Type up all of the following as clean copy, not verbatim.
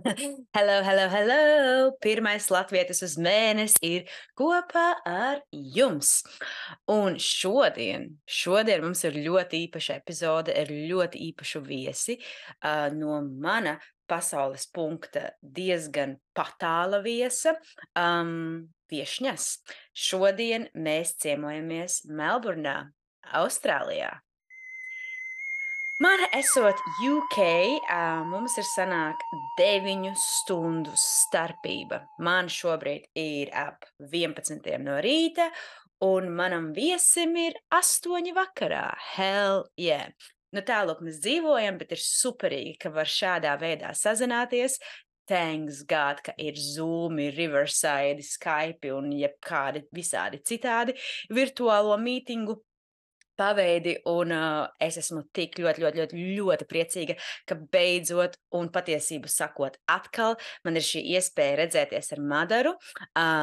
Hello, hello, hello! Pirmais latvietis uz mēnesi ir kopā ar jums. Un šodien mums ir ļoti īpaša epizode ar ļoti īpašu viesi no mana pasaules punkta diezgan patāla viesa, viešņas. Šodien mēs ciemojamies Melburnā, Austrālijā. Man esot UK, mums ir sanāk 9 stundu starpība. Man šobrīd ir ap 11 no rīta, un manam viesim ir 8 vakarā. Hell yeah! Nu tālūk mēs dzīvojam, bet ir superīgi, ka var šādā veidā sazināties. Thanks God, ka ir Zoom, Riverside, Skype un jebkādi visādi citādi virtuālo mītingu paveidi, un es esmu tik ļoti priecīga, ka beidzot un patiesību sakot atkal man ir šī iespēja redzēties ar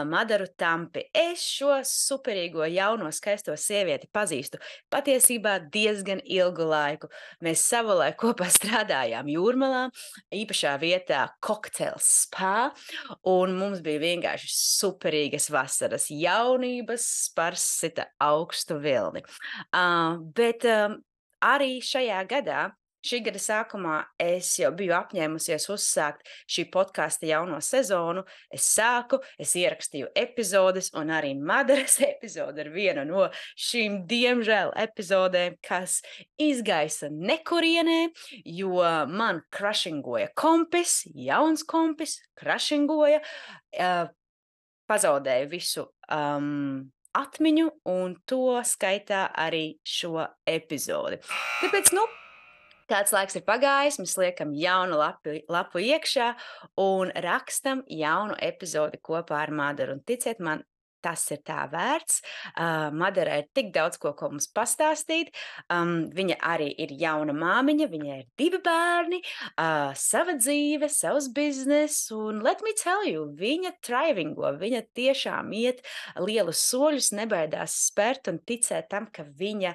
Madaru Tampi. Es šo superīgo jauno skaisto sievieti pazīstu patiesībā diezgan ilgu laiku. Mēs savulaik kopā strādājām Jūrmalā, īpašā vietā Cocktails Spa, un mums bija vienkārši superīgas vasaras jaunības sparsita augstu vilni. Bet arī šajā gadā, šī gada sākumā, es jau biju apņēmusies uzsākt šī podkasta jauno sezonu. Es ierakstīju epizodes, un arī Madaras epizode ir viena no šīm diemžēl epizodēm, kas izgaisa nekurienē, jo man krašingoja kompis, jauns kompis, krašingoja, pazaudēju visu atmiņu, un to skaitā arī šo epizodi. Tāpēc, kāds laiks ir pagājis, mēs liekam jaunu lapu iekšā un rakstam jaunu epizodi kopā ar Madaru. Un ticiet man, tas ir tā vērts. Madara ir tik daudz ko mums pastāstīt. Viņa arī ir jauna māmiņa, viņai ir 2 bērni, sava dzīve, savs biznes, un let me tell you, viņa thrivingo, viņa tiešām iet lielus soļus, nebaidās spērt un ticēt tam, ka viņa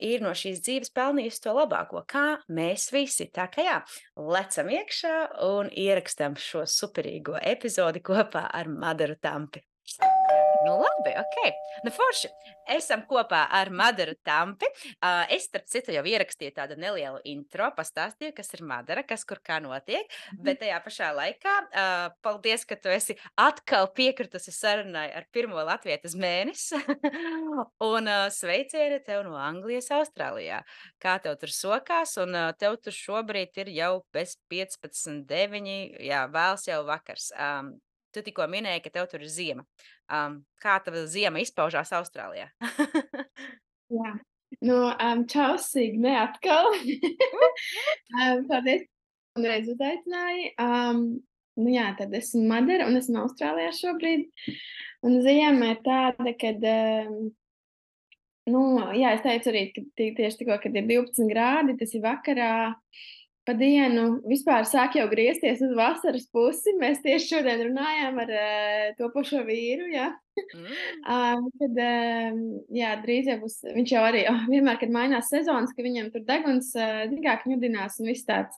ir no šīs dzīves pelnījusi to labāko, kā mēs visi. Tā kā jā, lecam iekšā un ierakstam šo superīgo epizodi kopā ar Madaru Tampi. Nu labi, ok. Nu forši. Esam kopā ar Madaru Tampi. Es, starp citu, jau ierakstīju tādu nelielu intro, pastāstīju, kas ir Madara, kas kur kā notiek, bet tajā pašā laikā paldies, ka tu esi atkal piekritusi sarunai ar pirmo latvietes mēnesi. Un sveicieni tev no Anglijas, Austrālijā. Kā tev tur sokās? Un tev tur šobrīd ir jau bez 15:09, jā, vēls jau vakars. Tu tikko minēji, ka tev tur ir ziema. Kā tava ziema izpaužās Austrālijā? Jā. Nu, čau, Signe, atkal. Paldies, ka vēlreiz uzaicināji. Nu jā, tad esmu Madara un esmu Austrālijā šobrīd. Un ziema ir tāda, kad, nu, jā, es teicu arī, ka tieši tikko, kad ir 12 grādi, tas ir vakarā. Pa dienu vispār sāk jau griezties uz vasaras pusi. Mēs tieši šodien runājām ar topošo vīru, jā. Kad, jā, drīz jau būs, viņš jau arī vienmēr, kad mainās sezonas, ka viņam tur deguns dīgāk ņudinās un viss tāds.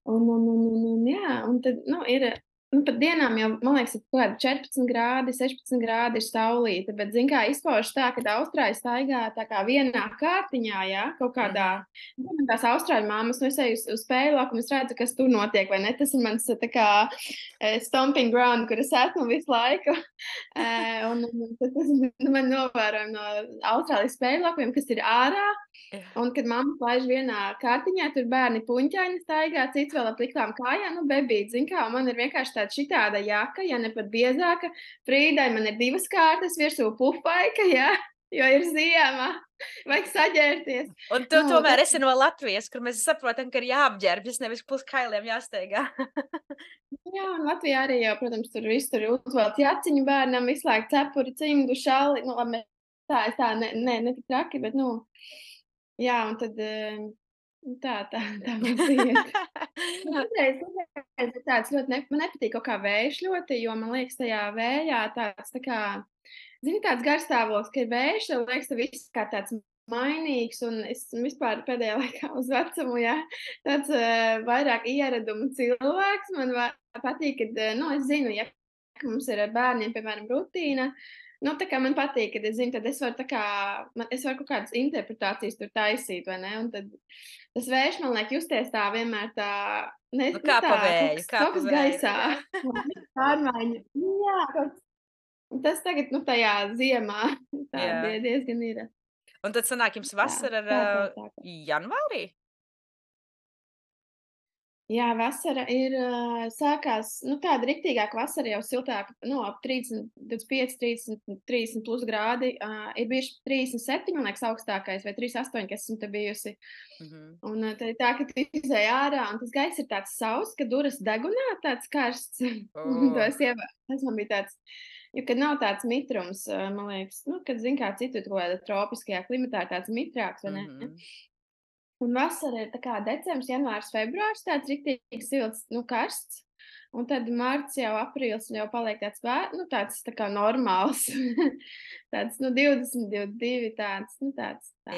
Jā, un tad, nu, ir, nu, pat dienām jau, man liekas, ir kaut kādi 14 grādi, 16 grādi ir saulīte, bet, zin kā, izpaužas tā, kad austrāļi staigā tā kā vienā kārtiņā, jā, kaut kādā, tās austrāļu māmas, nu, es eju uz spēļu laukumu, es redzu, kas tur notiek, vai ne, tas ir mans, tā kā, stomping ground, kur es esmu visu laiku, un tas man novērojam no Austrālijas spēļu laukumiem, kas ir ārā, un kad mamma laiž vienā kārtiņā, tur bērni puņķaini staigā, cits vēl ap liklām kājām, nu, bebīt, zin kā, un man ir vienkārši tāda šitāda jaka, ja ne pat biezāka, Frīdai man ir 2 kārtas, virsū pufaika, jā, jo ir ziema, vajag saģērties. Un tu tomēr esi no Latvijas, kur mēs saprotam, ka ir jāapģērbjas, nevis plus kailiem jāsteigā. Jā, un Latvijā arī jau, protams, tur viss tur uzvelc jaciņu bērnam, visu laiku cepuri, cimdu, šalli, nu, labi, tā, ne tik traki, bet, nu, jā, un tad, tā mums iet. Citreiz ir tāds ļoti, man nepatīk kaut kā vējš ļoti, jo man liekas tajā vējā tāds tā kā, zini, tāds garstāvoklis, ka ir vējš, tev liekas, ka viss kā tāds mainīgs, un es esmu vispār pēdējā laikā uz vecumu, jā, tāds vairāk ieradumu cilvēks. Man patīk, kad, nu, es zinu, ja ka mums ir ar bērniem, piemēram, rutīna. Nu, tā kā man patīk, kad es zinu, tad es varu tā kā, es varu kaut kādas interpretācijas tur taisīt, vai ne? Un tad tas vējš man liek justies tā vienmēr tā, Nu, nu tā, kā kaut pa kas vēju, gaisā. jā. Pārmaiņa. Nu, jā, tas tagad, nu, tajā ziemā tā Jā. diezgan ir. Un tad sanāk jums Tā, vasara ar tā. janvārī? Jā, vasara ir sākās, nu, tāda riktīgāka vasara, jau siltāka, nu, ap 30, 25, 30, 30 plus grādi. Ir bijuši 37, man liekas, augstākais, vai 38, kas esmu te bijusi. Mhm. Un tad ir tā, ka tu izēj ārā, un tas gaiss ir tāds sauss, ka duras degunā tāds karsts. Un O, tas man bija tāds, jo, kad nav tāds mitrums, man liekas, nu, kad, zin kā citur, kaut kādā tropiskajā klimatā ir tāds mitrāks, vai ne? mhm. Un vasara ir tā kā decembris, janvārs, februārs, tāds riktīgi silts, nu, karsts. Un tad marts jau aprīlis jau paliek tāds, nu, tāds tā kā normāls. Tāds, nu, 20, 22, tāds, nu,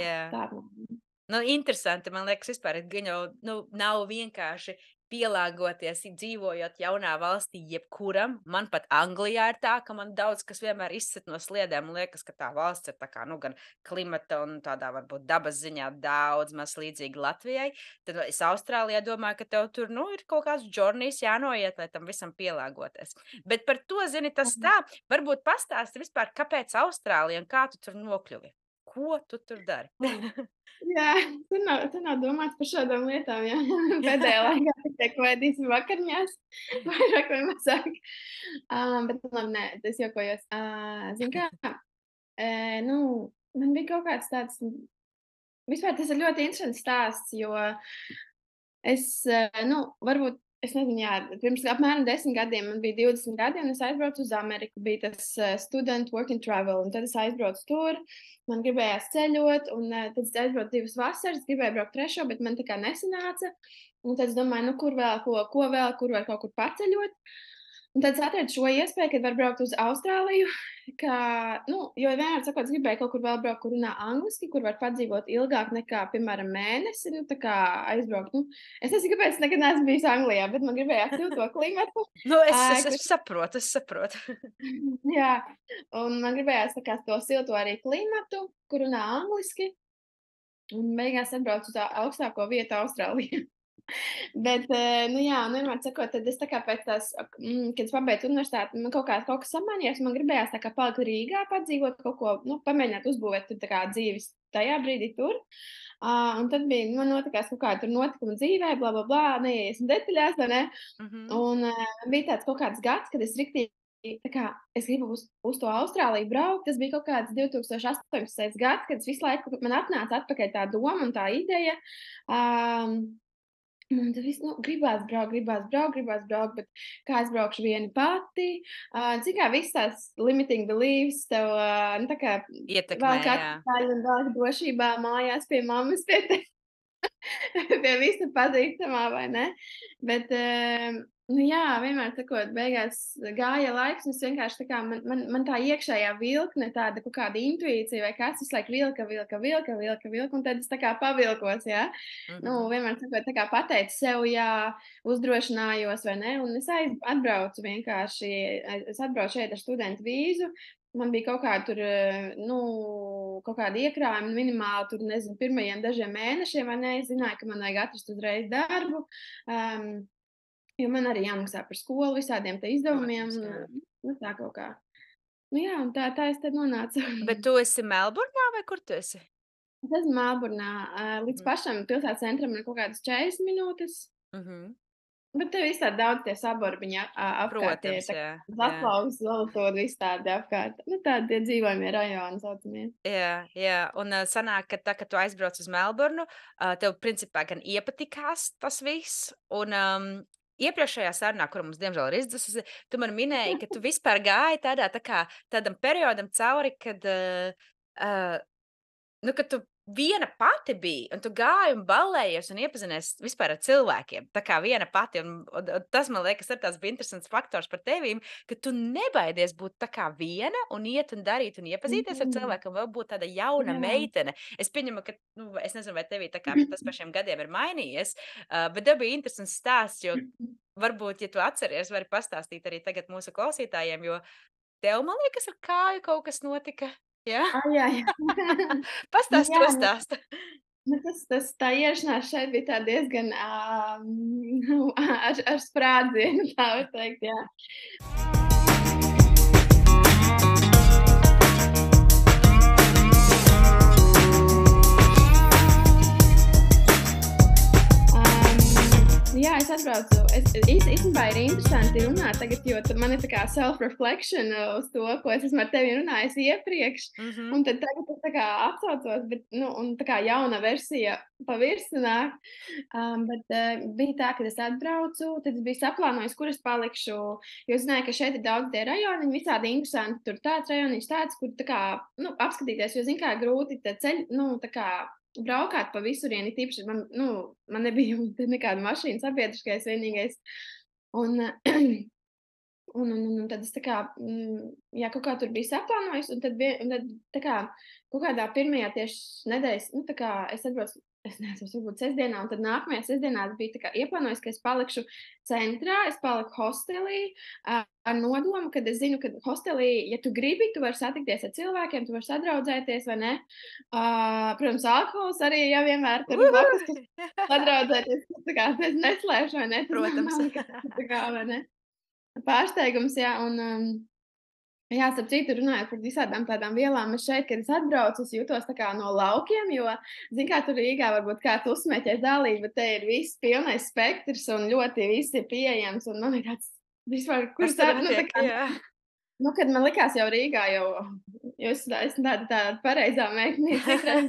Jā. tā. Nu, interesanti. Man liekas, vispār gan jau nav vienkārši pielāgoties, dzīvojot jaunā valstī, jebkuram. Man pat Anglijā ir tā, ka man daudz kas vienmēr izsit no sliedēm. Man liekas, ka tā valsts ir tā kā, nu, gan klimata un tādā varbūt dabas ziņā daudz maz līdzīga Latvijai. Tad es Austrālijā domāju, ka tev tur, nu, ir kaut kāds džornijs jānoiet, lai tam visam pielāgoties. Bet par to, zini, tas tā, varbūt pastāsti vispār, kāpēc Austrālija un kā tu tur nokļuvi? Ko tu tur dari? Jā, tu nav domāts par šādām lietām, jā. Pēdējā laikā tikai kvēdīsim vakariņās, vairāk vai mazāk. Bet labi, nē, es jokojos. Zini kā, nu, man bija kaut kāds tāds, vispār tas ir ļoti interesants stāsts, jo es, nu, varbūt, es nezinu, jā, pirms apmēram 10 gadiem, man bija 20 gadi, un es aizbraucu uz Ameriku. Bija tas student work and travel, un tad es aizbraucu tur. Man gribējās ceļot, un tad es aizbraucu 2 vasaras, gribēju braukt 3, bet man tā kā nesanāca. Un tad es domāju, nu, kur vēl, ko vēl, kur var kaut kur paceļot. Un tad es atradu šo iespēju, kad var braukt uz Austrāliju, ka, nu, jo vienmēr sakot, es gribēju kaut kur vēl braukt, kur runā angliski, kur var padzīvot ilgāk nekā, piemēram, mēnesi, nu, tā kā aizbraukt. Nu, es nezinu, kāpēc es nekad neesmu bijis Anglijā, bet man gribējās just to klimatu. Nu, es Kur, saprotu, es saprotu. jā, un man gribējās tā kā to silto arī klimatu, kur runā angliski. Un beigās atbraucu uz augstāko vietu Austrālijā. Bet, nu jā, un vienmēr sakot, tad es tā kā pēc tās, kad es pabeidzu universitāti, man kaut kas samainījās, man gribējās tā kā palikt Rīgā, padzīvot kaut ko, nu, pamēģināt uzbūvēt tur tā kā dzīves tajā brīdī tur. Un tad bija, man notikās kaut kāda tur notikuma dzīvē, bla, bla, bla, neiesim detaļās, vai ne? Mhm. Un bija tāds kaut kāds gads, kad es riktīgi, tā kā es gribu uz to Austrāliju braukt. Tas bija kaut kāds 2018. gads, kad es visu laiku man atnāca atpakaļ tā doma un tā ideja. Man tas viss, nu, gribās braukt, bet kā es braukšu viena pati? Cik kā viss tās limiting beliefs tev, nu, tā kā Ietekmē, vēl jā. katru daļu un vēl drošībā mājās pie mammas, pie visa pazīstamā, vai ne? Bet, nu jā, vienmēr sakot, beigās gāja laiks, un es vienkārši tā kā man tā iekšējā vilkne, tāda kaut kāda intuīcija vai kas, visu laiku vilka, un tad es tā kā pavilkos, jā. Nu, Mhm. vienmēr sakot, tā kā pateicu sev, jā, uzdrošinājos, vai ne, un es atbraucu vienkārši, es atbraucu šeit ar studentu vīzu. Man bija kaut kāda tur, nu, kaut kāda iekrājuma minimāli, tur, nezinu, pirmajiem dažiem mēnešiem, vai ne, es zināju, ka man vajag atrast uzreiz darbu, jo man arī jāmaksā par skolu, visādiem te izdevumiem, Protams, jā. un, nu, tā kaut kā. Nu jā, un tā es tad nonācu. Bet tu esi Melburnā vai kur tu esi? Es esmu Melburnā, līdz Mhm. pašam pilsētas centram ir kaut kādas 40 minūtes. Mhm. Bet tev viss tādi daudz tie saborbiņi apkārt, tie Protams, tā jā, kā jā. Zaslaus, Zolotūra, viss tādi apkārt. Nu, tādi tie dzīvojamie rajoni saucamie. Jā, jā, un sanāk, ka tā, kad tu aizbrauc uz Melburnu, tev principā gan iepatikās tas viss, un iepriekšējā sarunā, kura mums diemžēl ir izdzisusi, tu man minēji, ka tu vispār gāji tādā tā kā tādam periodam cauri, kad, nu, kad tu viena pati biji, un tu gāji un ballējies un iepazinies vispār ar cilvēkiem. Tā kā viena pati, un tas, man liekas, ir tāds bija interesants faktors par tevīm, ka tu nebaidies būt tā kā viena un iet un darīt un iepazīties ar cilvēku, un vēl būt tāda jauna Jā. meitene. Es pieņemu, ka, nu, es nezinu, vai tevī tā kā tas par šiem gadiem ir mainījies, bet tev bija interesants stāsts, jo varbūt, ja tu atceries, vari pastāstīt arī tagad mūsu klausītājiem, jo tev, man liekas, ar kāju kaut kas notika. Jā? Jā, jā. Pastāst Jā, to stāstu. tā iešanās šeit bija tā diezgan ar sprādzienu, tā var teikt, jā. Jā, es atbraucu. Īstenībā ir interesanti runāt tagad, jo man ir tā kā self-reflection uz to, ko es esmu ar tevi runājis iepriekš. Un tad tagad es tā kā atcaucos, bet, nu, un tā kā jauna versija pa virsu nāk. Bet bija tā, kad es atbraucu, tad es biju saplānojis, kur es palikšu, jo zināju, ka šeit ir daudz tie rajoni, visādi interesanti. Tur tāds rajoniņš tāds, kur tā kā, nu, apskatīties, jo, zin kā, grūti te ceļ, nu, tā kā, braukāt pa visurieni, tīpaši man nebija nekāda mašīna sabiedriskais vienīgais. Un tad es tā kā, jā, kaut kā tur biju saplānojis, un tad tā kā kaut kādā pirmajā tieši nedēļas, nu, tā kā es atbraucu, es nezinu, varbūt sestdienā, un tad nākamajā sestdienā biju tā kā ieplānojis, ka es palikšu centrā, es paliku hostelī, ar nodomu, kad es zinu, ka hostelī, ja tu gribi, tu vari satikties ar cilvēkiem, tu vari sadraudzēties, vai ne? Protams, alkohols arī vienmēr tur blakus, kas sadraudzēties, tā kā es neslēpšu, vai ne? Protams. Tā kā, vai ne? Pārsteigums, jā, un jā, starp citu, runājot par visādām tādām vielām, es šeit, kad es atbraucu, es jūtos tā kā no laukiem, jo, zin kā, tur Rīgā varbūt kāds uzsmēķēs dalību, bet te ir viss pilnais spektrs un ļoti viss ir pieejams, un man ir tāds, vispār, kur tā, nu, tā kā, nu, kad man likās jau Rīgā, jo es esmu tāda pareizā meitene, citreiz.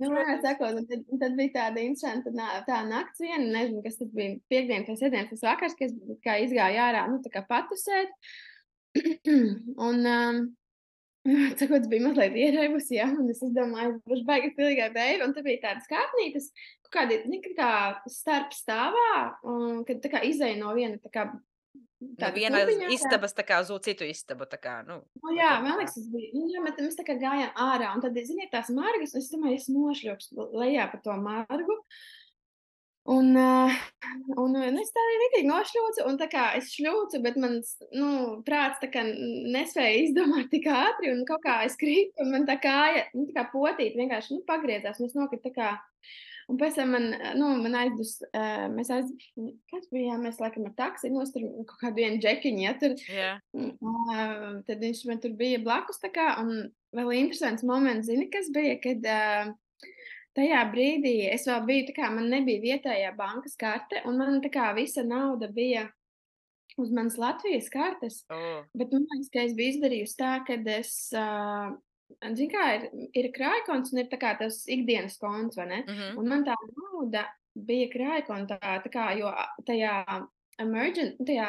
Nu, sakot, un tad bija tāda interesanta tā nakts viena, nezinu, kas tas bija piekdienas vai sestdienas tas vakars, ka es kā izgāju ārā, nu, tā kā patusēt. Un, sakot, es biju mazliet ierēbusi, jā, un es domāju, es būšu baigi pilīgā beiga, un tad bija tādas kāpnītes, kādi, kā starp stāvā, un kad tā kā izēja no viena tā kā No viena istabas tā kā uz citu istabu, tā kā, nu. Nu, jā, man liekas, tas bija, jā, bet mēs tā kā gājām ārā, un tad, ziniet, tās margas, es domāju, es nošļūkstu lejā pa to margu, un es tā arī ritīgi nošļūcu, un tā kā es šļūcu, bet mans, nu, prāts tā kā nespēja izdomāt tik ātri, un kaut kā es krītu, un man tā kāja, nu, tā kā potīt vienkārši, nu, pagriezās, un es nokritu tā kā. Un pēc tam man aizdus, kas bija, mēs laikam ar taksi nostur kaut kādu vienu džekiņu, ja tur. Jā. Tad viņš man tur bija blakus tā kā, un vēl interesants moments, zini, kas bija, kad tajā brīdī es vēl biju, tā kā man nebija vietējā bankas karte, un man tā kā visa nauda bija uz manas Latvijas kartes, bet man liekas, ka es biju izdarījusi tā, kad es, zin kā, ir krājkonts un ir tā kā tas ikdienas konts, vai ne? Un man tā nauda bija krājkontā, tā kā, jo tajā tajā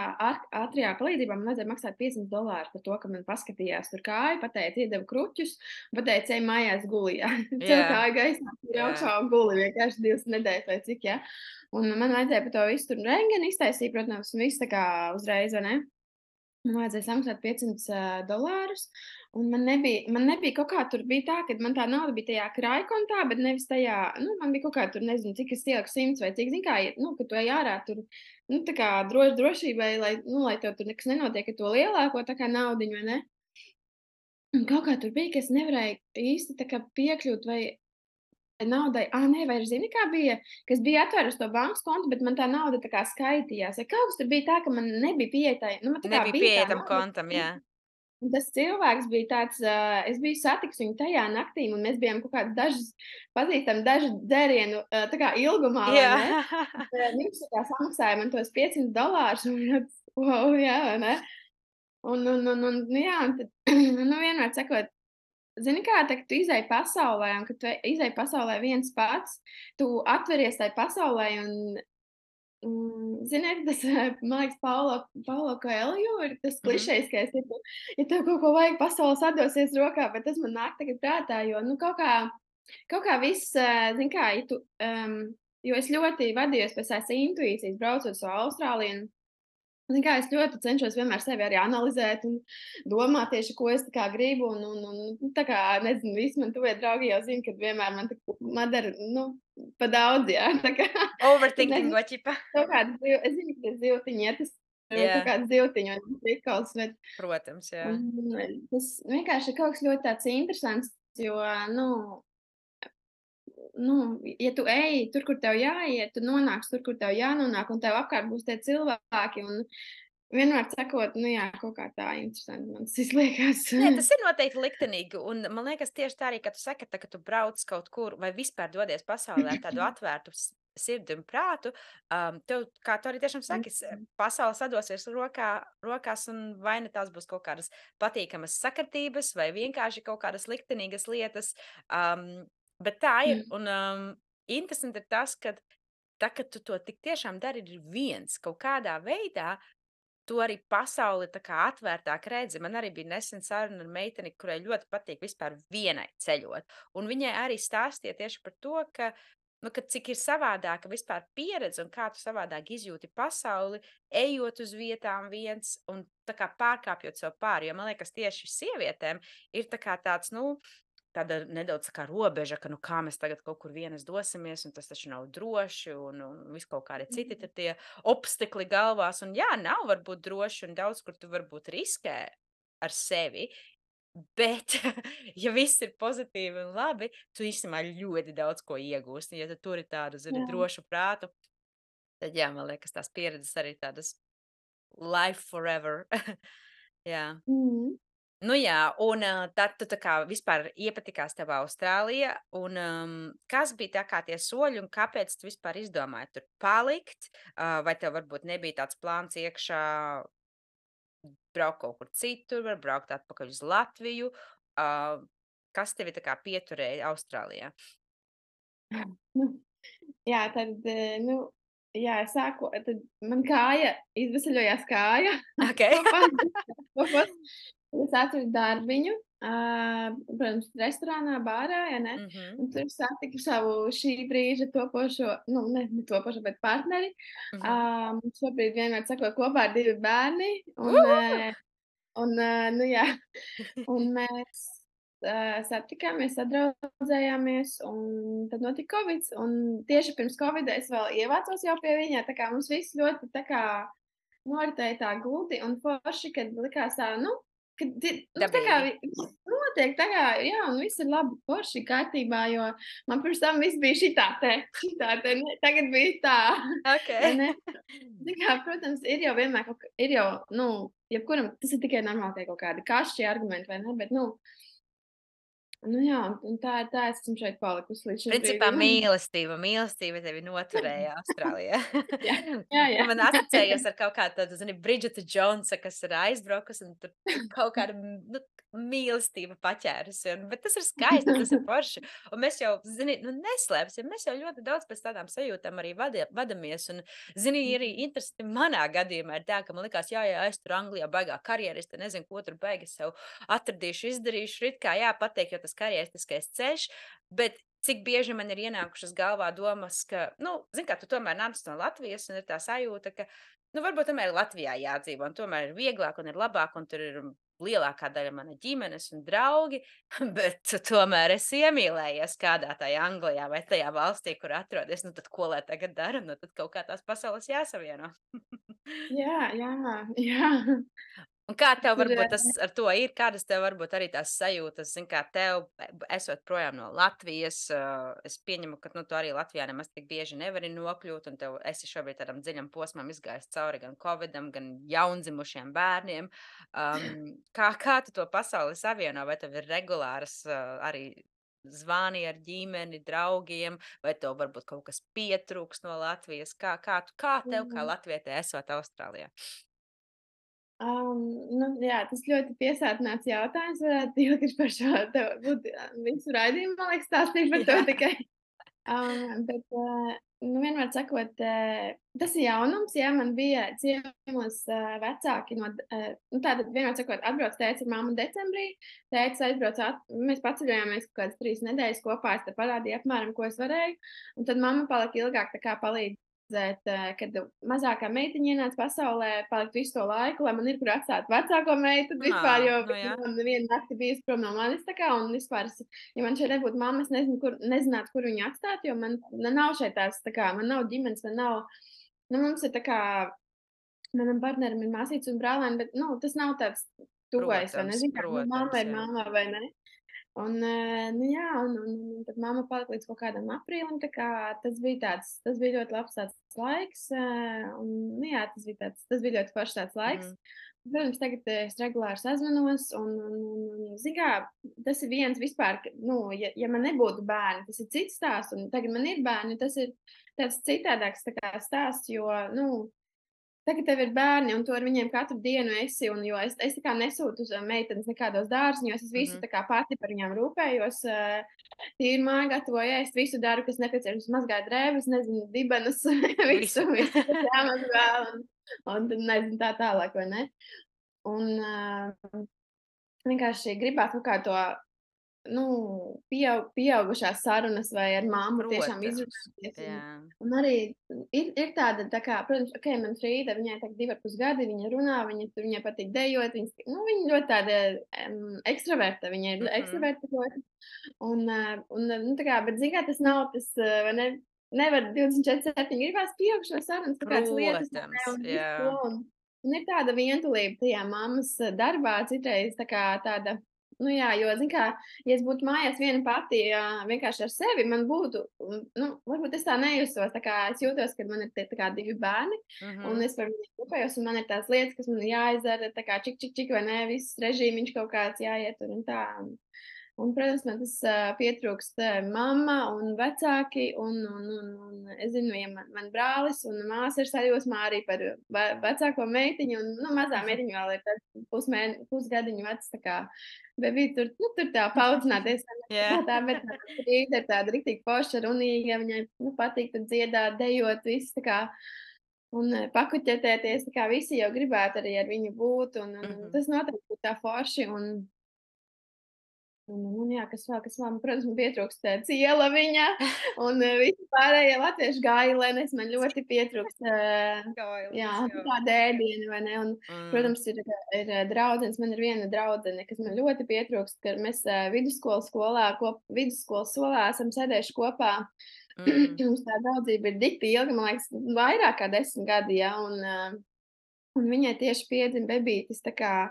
ātrijā palīdzībā man vajadzēja maksāt $500 par to, ka man paskatījās tur kāju, pateica, iedeva kruķus, pateica, ej mājās guli, jā. Cel kāju gaismā, tur augšā guli, vienkārši 2 nedēļas vai cik, jā. Un man vajadzēja par to visu tur rengeni iztaisīt, protams, un viss tā kā uzreiz, vai ne? Man vajadzēja samaksāt $500, un man nebija kaut kā, tur bija tā, ka man tā nauda bija tajā krājkontā, bet nevis tajā, nu, man bija kaut kā tur, nezinu, cik es ieliku 100 vai cik, zin kā, nu, ka tu ej ārā tur, nu, tā kā drošībai, lai tev tur nekas nenotiek ar to lielāko, tā kā naudiņu, vai ne? Un kaut kā tur bija, ka es nevarēju īsti tā kā piekļūt vai naudai, nē, vai zini, kā bija, kas bija atvērusi to bankas kontu, bet man tā nauda tā kā skaitījās. Ja kaut kas tur bija tā, ka man nebija pieejai, nu, man tā kā Nebija bija tā pieejam nauda. kontam, jā. Un tas cilvēks bija tāds, es biju satiks viņu tajā naktī, un mēs bijām kaut kādas pazīstami dažu dzērienu tā kā ilgumā, vai ne? Viņš tā kā samaksāja man tos $500, un wow, jā, vai ne? Un jā, un tad, nu, vienmēr sakot, zini kā, tā, ka tu izej pasaulē, un kad tu izej pasaulē viens pats, tu atveries tai pasaulē, un Ziniet, tas, man liekas, Paulo Coelho ir tas Mhm. klišejiskais, ja tev kaut ko vajag, pasaule sadosies rokā, bet tas man nāk tagad prātā, jo, nu, kaut kā viss, zini kā, jo es ļoti vadījos pēc tās intuīcijas, braucot uz Austrāliju. Zini kā, es ļoti cenšos vienmēr sevi arī analizēt un domāt tieši, ko es tā kā gribu. Tā kā, nezinu, visi man tuvie draugi jau zina, ka vienmēr man dara, nu, pa daudz, jā. Tā kā, es Overthinking nezinu, ķipa. kaut kādas es zinu, ka tas zivtiņi iet, tas kaut Jā, kāds zivtiņi un prikals, bet protams, jā. tas vienkārši ir kaut kas ļoti tāds interesants, jo, nu, ja tu ej tur, kur tev jāiet, tu nonāksi tur, kur tev jānonāk, un tev apkārt būs tie cilvēki. Un vienmēr sakot, nu jā, kaut kā tā interesanti man tas izliekas. Nē, tas ir noteikti liktenīgi, un man liekas tieši tā arī, ka tu saki, ka tu brauc kaut kur vai vispār dodies pasaulē ar tādu atvērtu sirdi un prātu, tev, kā tu arī tiešām saki, pasaule sadosies rokās, un vai ne tās būs kaut kādas patīkamas sakritības, vai vienkārši kaut kādas liktenīgas lietas, bet tā ir, un interesanti ir tas, ka tā, kad tu to tik tiešām dari ir viens kaut kādā veidā, tu arī pasauli tā kā atvērtāk redzi. Man arī bija nesen saruna ar meiteni, kurai ļoti patīk vispār vienai ceļot. Un viņai arī stāstīja tieši par to, ka, nu, ka cik ir savādāka vispār pieredze un kā tu savādāk izjūti pasauli, ejot uz vietām viens un tā kā pārkāpjot sev pāri. Jo man liekas, tieši sievietēm ir tā kā tāds, nu, tāda nedaudz tā kā robeža, ka, nu, kā mēs tagad kaut kur vienas dosimies, un tas taču nav droši, un viss kaut kādi citi tur tie obstekli galvās. Un jā, nav varbūt droši, un daudz kur tu varbūt riskē ar sevi, bet, ja viss ir pozitīvi un labi, tu īstenībā ļoti daudz ko iegūsti. Ja tu turi tādu, zini, Jā. drošu prātu, tad jā, man liekas, tās pieredzes arī tādas life forever. Jā. Mhm. Nu jā, un, tad tu tā kā vispār iepatikās tev Austrālija, un, kas bija tā kā tie soļi, un kāpēc tu vispār izdomāji tur palikt? Vai tev varbūt nebija tāds plāns iekšā braukt kaut kur citur, var braukt atpakaļ uz Latviju? Kas tevi tā kā pieturēja Austrālijā? Nu, jā, tad, nu, jā, es sāku, tad man kāja, izvesaļojās kāja. Okei. Kopā. Es atradu darbiņu, protams, restorānā, bārā, ja ne? Mhm, Un tur satiku savu šī brīža topošo, nu, ne topošo, bet partneri. mhm. Šobrīd vienmēr sakot kopā ar 2 bērni. Nu jā, un mēs satikāmies, sadraudzējāmies, un tad notika Covid. Un tieši pirms Covida es vēl ievācos jau pie viņa, tā kā mums viss ļoti tā kā noritēja tā gludi un forši, kad likās tā, nu, tā kā Dabīgi. notiek, tā kā, jā, un viss ir labi, forši, kārtībā, jo man pirms tam viss bija šitā te, ne, tagad bija tā, vai Okei. ne? Tā kā, protams, ir jau vienmēr ir jau, nu, jebkuram tas ir tikai normāli tie kaut kādi kašķi argumenti, vai ne, bet, nu jā, un tā es esmu šeit palikusi līdz šim Principā brīdim. mīlestība tevi noturēja Austrālijā. Jā, jā, Tu jā. man asociējies ar kaut kādu tādu, zini, Bridžeta Džonsa, kas ir aizbraukusi un tur kaut kāda, nu, mīlestība paķērusi, bet tas ir skaisti, tas ir forši. Un mēs jau, zini, nu, neslēpsim, mēs jau ļoti daudz pēc tādām sajūtām arī vadamies. Un, zini, arī interesanti manā gadījumā ir tā, ka man likās, jā, es tur Anglijā baigā karjeriste, nezinu, ko tur baigi sev atradīšu, izdarīšu, it kā jāpateikt, jo tas karjeristiskais ceļš, bet cik bieži man ir ienākušas galvā domas, ka, nu, zini, kā tu tomēr nāc no Latvijas un ir tā sajūta, ka, nu, varbūt tomēr Latvijā jādzīvo, un tomēr ir vieglāk un ir labāk, un tur ir lielākā daļa mana ģimenes un draugi, bet tu tomēr esi iemīlējies kādā tajā Anglijā vai tajā valstī, kur atrodies, nu tad ko lai tagad dara, nu tad kaut kā tās pasaules jāsavieno. Jā, jā, jā. Un kā Tas tev ir, varbūt tas ar to ir? Kādas tev varbūt arī tās sajūtas, zini, kā tev, esot projām no Latvijas, es pieņemu, ka, nu, tu arī Latvijā nemaz tik bieži nevari nokļūt, un tev esi šobrīd tādam dziļam posmam izgājis cauri gan Covidam, gan jaundzimušiem bērniem. Kā tu to pasauli savieno? Vai tev ir regulāras arī zvani ar ģimeni, draugiem, vai tev varbūt kaut kas pietrūks no Latvijas? Kā tev, kā latvietē, esot Austrālijā? Um, jā, tas ļoti piesātināts jautājums. Varētu ilgi par šo tev būt visu raidījumu, man liekas, stāstīt par to Jā. tikai. Bet, nu, vienmēr sakot, tas ir jaunums, jā, man bija ciemos vecāki no, nu, tātad vienmēr sakot, atbrauc tētis ar mammu decembrī, tētis aizbrauc, mēs paceļojāmies kaut kādas 3 nedēļas kopā, es te parādīju apmēram, ko es varēju, un tad mamma palika ilgāk tā kā palīdzēt, kad mazākā meitiņa ienāca pasaulē, palikt visu to laiku, lai man ir kur atstāt vecāko meitu vispār, jo Nu jā. man neviena nakti bijusi prom no manis tā kā, un vispār ja man šeit nebūtu mamma, es nezinu, nezinātu, kur viņu atstāt, jo man nav šeit tās, tā kā, man nav ģimenes, man nav, nu, mums ir tā kā, manam partnerim ir māsītes un brālēni, bet, nu, tas nav tāds tuvais, vai ne, Protams, zini, kā, nu, mamma ir jā. mamma, vai ne? Un, nu, jā, un tad mamma palika līdz kaut kādam aprīlim, tā kā tas bija ļoti labs tāds laiks, un, nu, jā, tas bija ļoti foršs tāds laiks. Mhm. Protams, tagad es regulāri sazvanos, zini kā, tas ir viens vispār, nu, ja man nebūtu bērni, tas ir cits stāsts, un tagad man ir bērni, tas ir tāds citādāks tā kā stāsts, jo, nu, tagad tev ir bērni, un tu ar viņiem katru dienu esi, un jo es tā kā nesūtu uz meitenes nekādos dārziņos, es visu Mhm. tā kā pati par viņām rūpējos, tīru māju gatavoju ēst, visu daru, kas nepieciešams, mazgāju drēbes, nezinu, dibenus, Visu. visu, kas jāmazgā, un tad nezinu tā tālāk, vai ne? Un vienkārši gribētu kaut kā to, nu, pieaugušās sarunas vai ar mammu tiešām Protams, izrunāties. jā. Un arī ir tāda, tā kā, protams, ok, man Frīda, viņai tagad 2,5 gadi, viņa runā, viņai patīk dejot, nu, viņa ļoti tāda ekstraverta, viņa ir Mhm. ekstraverta ļoti. Nu, tā kā, bet, zini kā, tas nav tas, vai ne, nevar 24/7 gribās pieaugšanas sarunas, kaut kādas lietas, vai ne, Protams, un visu jā. to, un ir tāda vientulība tajā mammas darbā, citreiz tā kā tāda, nu jā, jo, zini kā, ja es būtu mājās viena pati, vienkārši ar sevi, man būtu, nu, varbūt es tā nejustos, tā kā es jūtos, ka man ir tie tā kā 2 bērni, un Mhm. es par viņiem rūpējos, un man ir tās lietas, kas man ir jāizdara, tā kā čik, čik, čik, vai ne, viss režīmiņš kaut kāds jāietur un tā. Un, protams, man tas pietrūkst mamma un vecāki, un es zinu, ja man brālis un māsa ir sajūsmā arī par vecāko meitiņu, un, nu, mazā meitiņa vēl ir pusgadiņu vecs, tā kā bebīte tur, nu, tur tā paudzināties, Jā. bet Rīta ir tāda riktīgi forša, runīga, viņai, nu, patīk tur dziedāt, dejot, viss, tā kā, un pakuķetēties, tā kā visi jau gribētu arī ar viņu būt, un Mhm. tas noteikti būtu tā forši, un jā, kas vēl, protams, man pietrūkst ciela viņa un visi pārējie latviešu gailenes, man ļoti pietrūkst, jā, Gailenes, jā. tāda ēdiena, vai ne, un, Mm. protams, ir draudzenes, man ir viena draudzene, kas man ļoti pietrūkst, ka mēs vidusskolas solā esam sēdējuši kopā, Mm. mums tā draudzība ir dikti ilga, man liekas, vairāk kā 10 gadi, ja, un viņai tieši piedzima bebītis, tā kā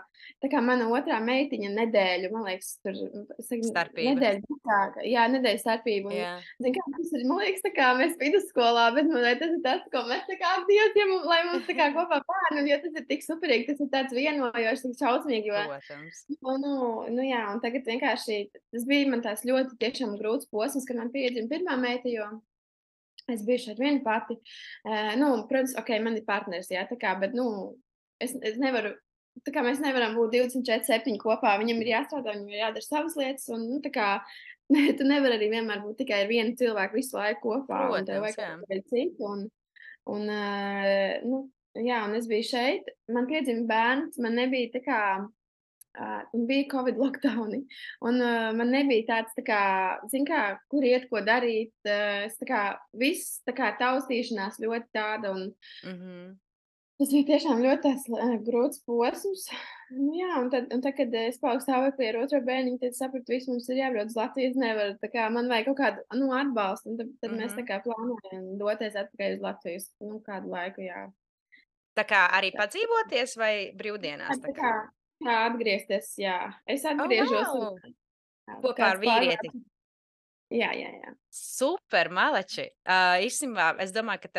mana otrā meitiņa nedēļu, man liekas, tur, es saku, Starpība. nedēļu vecāka, jā, nedēļas starpība, un, Jā. zini kā, tas ir, man liekas, tā kā mēs vidusskolā, bet, man liekas, tas ir tas, ko mēs tā kā, Dievs, ja lai mums tā kā kopā bērni, jo tas ir tik superīgi, tas ir tāds vienojošs, tik šausmīgi, jo, Protams. nu jā, un tagad vienkārši, tas bija man tās ļoti tiešām grūts posms, kad man piedzima pirmā meita, jo es biju šeit viena pati. Nu, protams, ok, man ir partneris, jā, tā kā, bet, nu, es nevaru, tā kā mēs nevaram būt 24/7 kopā. Viņam ir jāstrādā, viņam ir jādara savas lietas, un, nu, tā kā, tu nevari arī vienmēr būt tikai ar vienu cilvēku visu laiku kopā, un tev Protams, vajag jā. kaut ko citu, un, nu, jā, un es biju šeit, man piedzima bērns, man nebija tā kā, un bija Covid lockdowni, un, man nebija tāds, tā kā, zini kā, kur iet, ko darīt, es tā kā, viss tā kā taustīšanās ļoti tāda, un Mhm. tas bija tiešām ļoti tāds, grūts posms. Nu jā, un tad, kad es paaugu stāvoklī ar otro bērniņu, tad sapratu, viss mums ir jābrauc uz Latviju, es nevaru, tā kā man vajag kaut kādu, nu, atbalstu, un tad mēs tā Mhm. kā plānojam doties atpakaļ uz Latviju uz, nu, kādu laiku, jā. Tā kā arī Tā, padzīvoties vai brīvdienās tā tā kā? kā atgriezties, jā. Es Oh, atgriežos un wow! Kopā ar kāds vīrieti. pārvāc. Jā, jā, jā. Super, maleči! Īstenībā es domāju, ka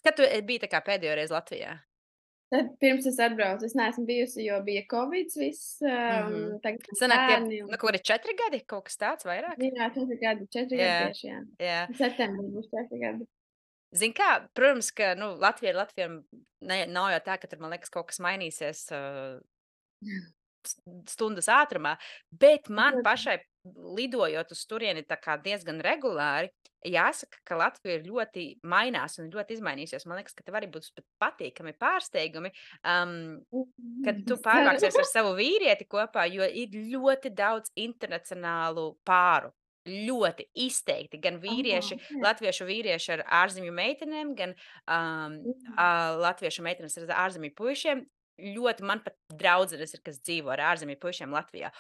kad tu biji tā kā pēdējo reizi Latvijā? Tad pirms es atbraucu, es neesmu bijusi, jo bija Covids viss, Mhm. un tagad man Sanāk tie, bērni, nu, kaut kādi 4 gadi, kaut kas tāds vairāk? jā, 4 gadi Jā, tieši, jā. jā. Septembrī būs 4 gadi. Zini kā, protams, ka, nu, Latvija ir Latvija, nav jau tā, ka tur, man liekas, kaut kas mainīsies, stundas ātrumā, bet man Protams. pašai lidojot uz turieni tā kā diezgan regulāri, jāsaka, ka Latvija ir ļoti mainās un ļoti izmainījusies. Man liekas, ka tev arī būs pat patīkami pārsteigumi, kad tu Es ceru. pārvāksies ar savu vīrieti kopā, jo ir ļoti daudz internacionālu pāru. Ļoti izteikti. Gan vīrieši, Ok. latviešu vīrieši ar ārzemju meitenēm, gan latviešu meitenes ar ārzemju puišiem. Ļoti man pat draudzenes ir, kas dzīvo ar ārzemju puišiem Latvijā.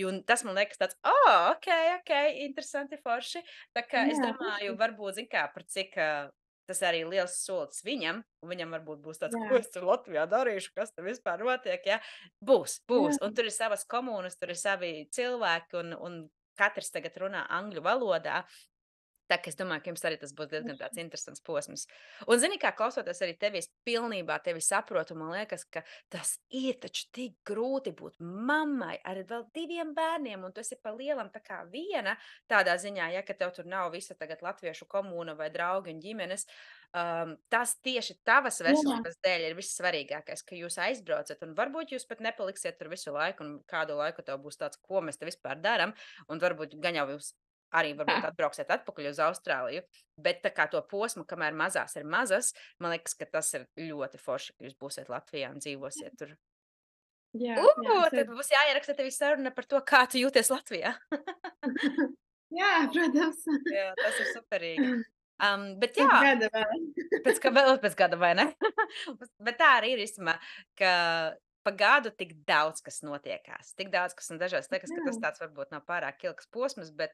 Un tas man liekas tāds, ok, interesanti, forši. Tā kā es Jā, domāju, varbūt, zin kā, par cik tas arī liels solis viņam, un viņam varbūt būs tāds, ko jā, es tur Latvijā darīšu, kas tur vispār notiek, ja? Būs. jā. Un tur ir savas komunas, tur ir savi cilvēki, un katrs tagad runā angļu valodā. Tā kā es domāju, ka jums arī tas būs diezgan tāds interesants posms. Un, zini, kā klausoties arī tevi, es pilnībā tevi saprotu. Man liekas, ka tas ir taču tik grūti būt mammai ar vēl 2 bērniem, un tu esi pa lielam tā kā viena tādā ziņā, ja, ka tev tur nav visa tagad latviešu komūna vai draugi un ģimenes. Tas tieši tavas Jā. veselības dēļ ir vissvarīgākais, ka jūs aizbraucat, un varbūt jūs pat nepaliksiet tur visu laiku, un kādu laiku tev būs tāds, ko mēs te vispār darām, un varbūt gan jau jūs arī varbūt atbrauksiet atpakaļ uz Austrāliju, bet tā kā to posmu, kamēr mazās ir mazas, man liekas, ka tas ir ļoti forši, ka jūs būsiet Latvijā un dzīvosiet tur. Jā, jā, es Tad arī. būs jāieraksta tev saruna par to, kā tu jūties Latvijā. Jā, protams. Jā, tas ir superīgi. Bet Pēc jā, gada vēl. pēc gada, vai ne? Bet tā arī ir īstenībā, ka pa gadu tik daudz kas notiekās. Tik daudz kas, un dažreiz liekas, ka Jā, tas tāds varbūt nav pārāk ilgs posms, bet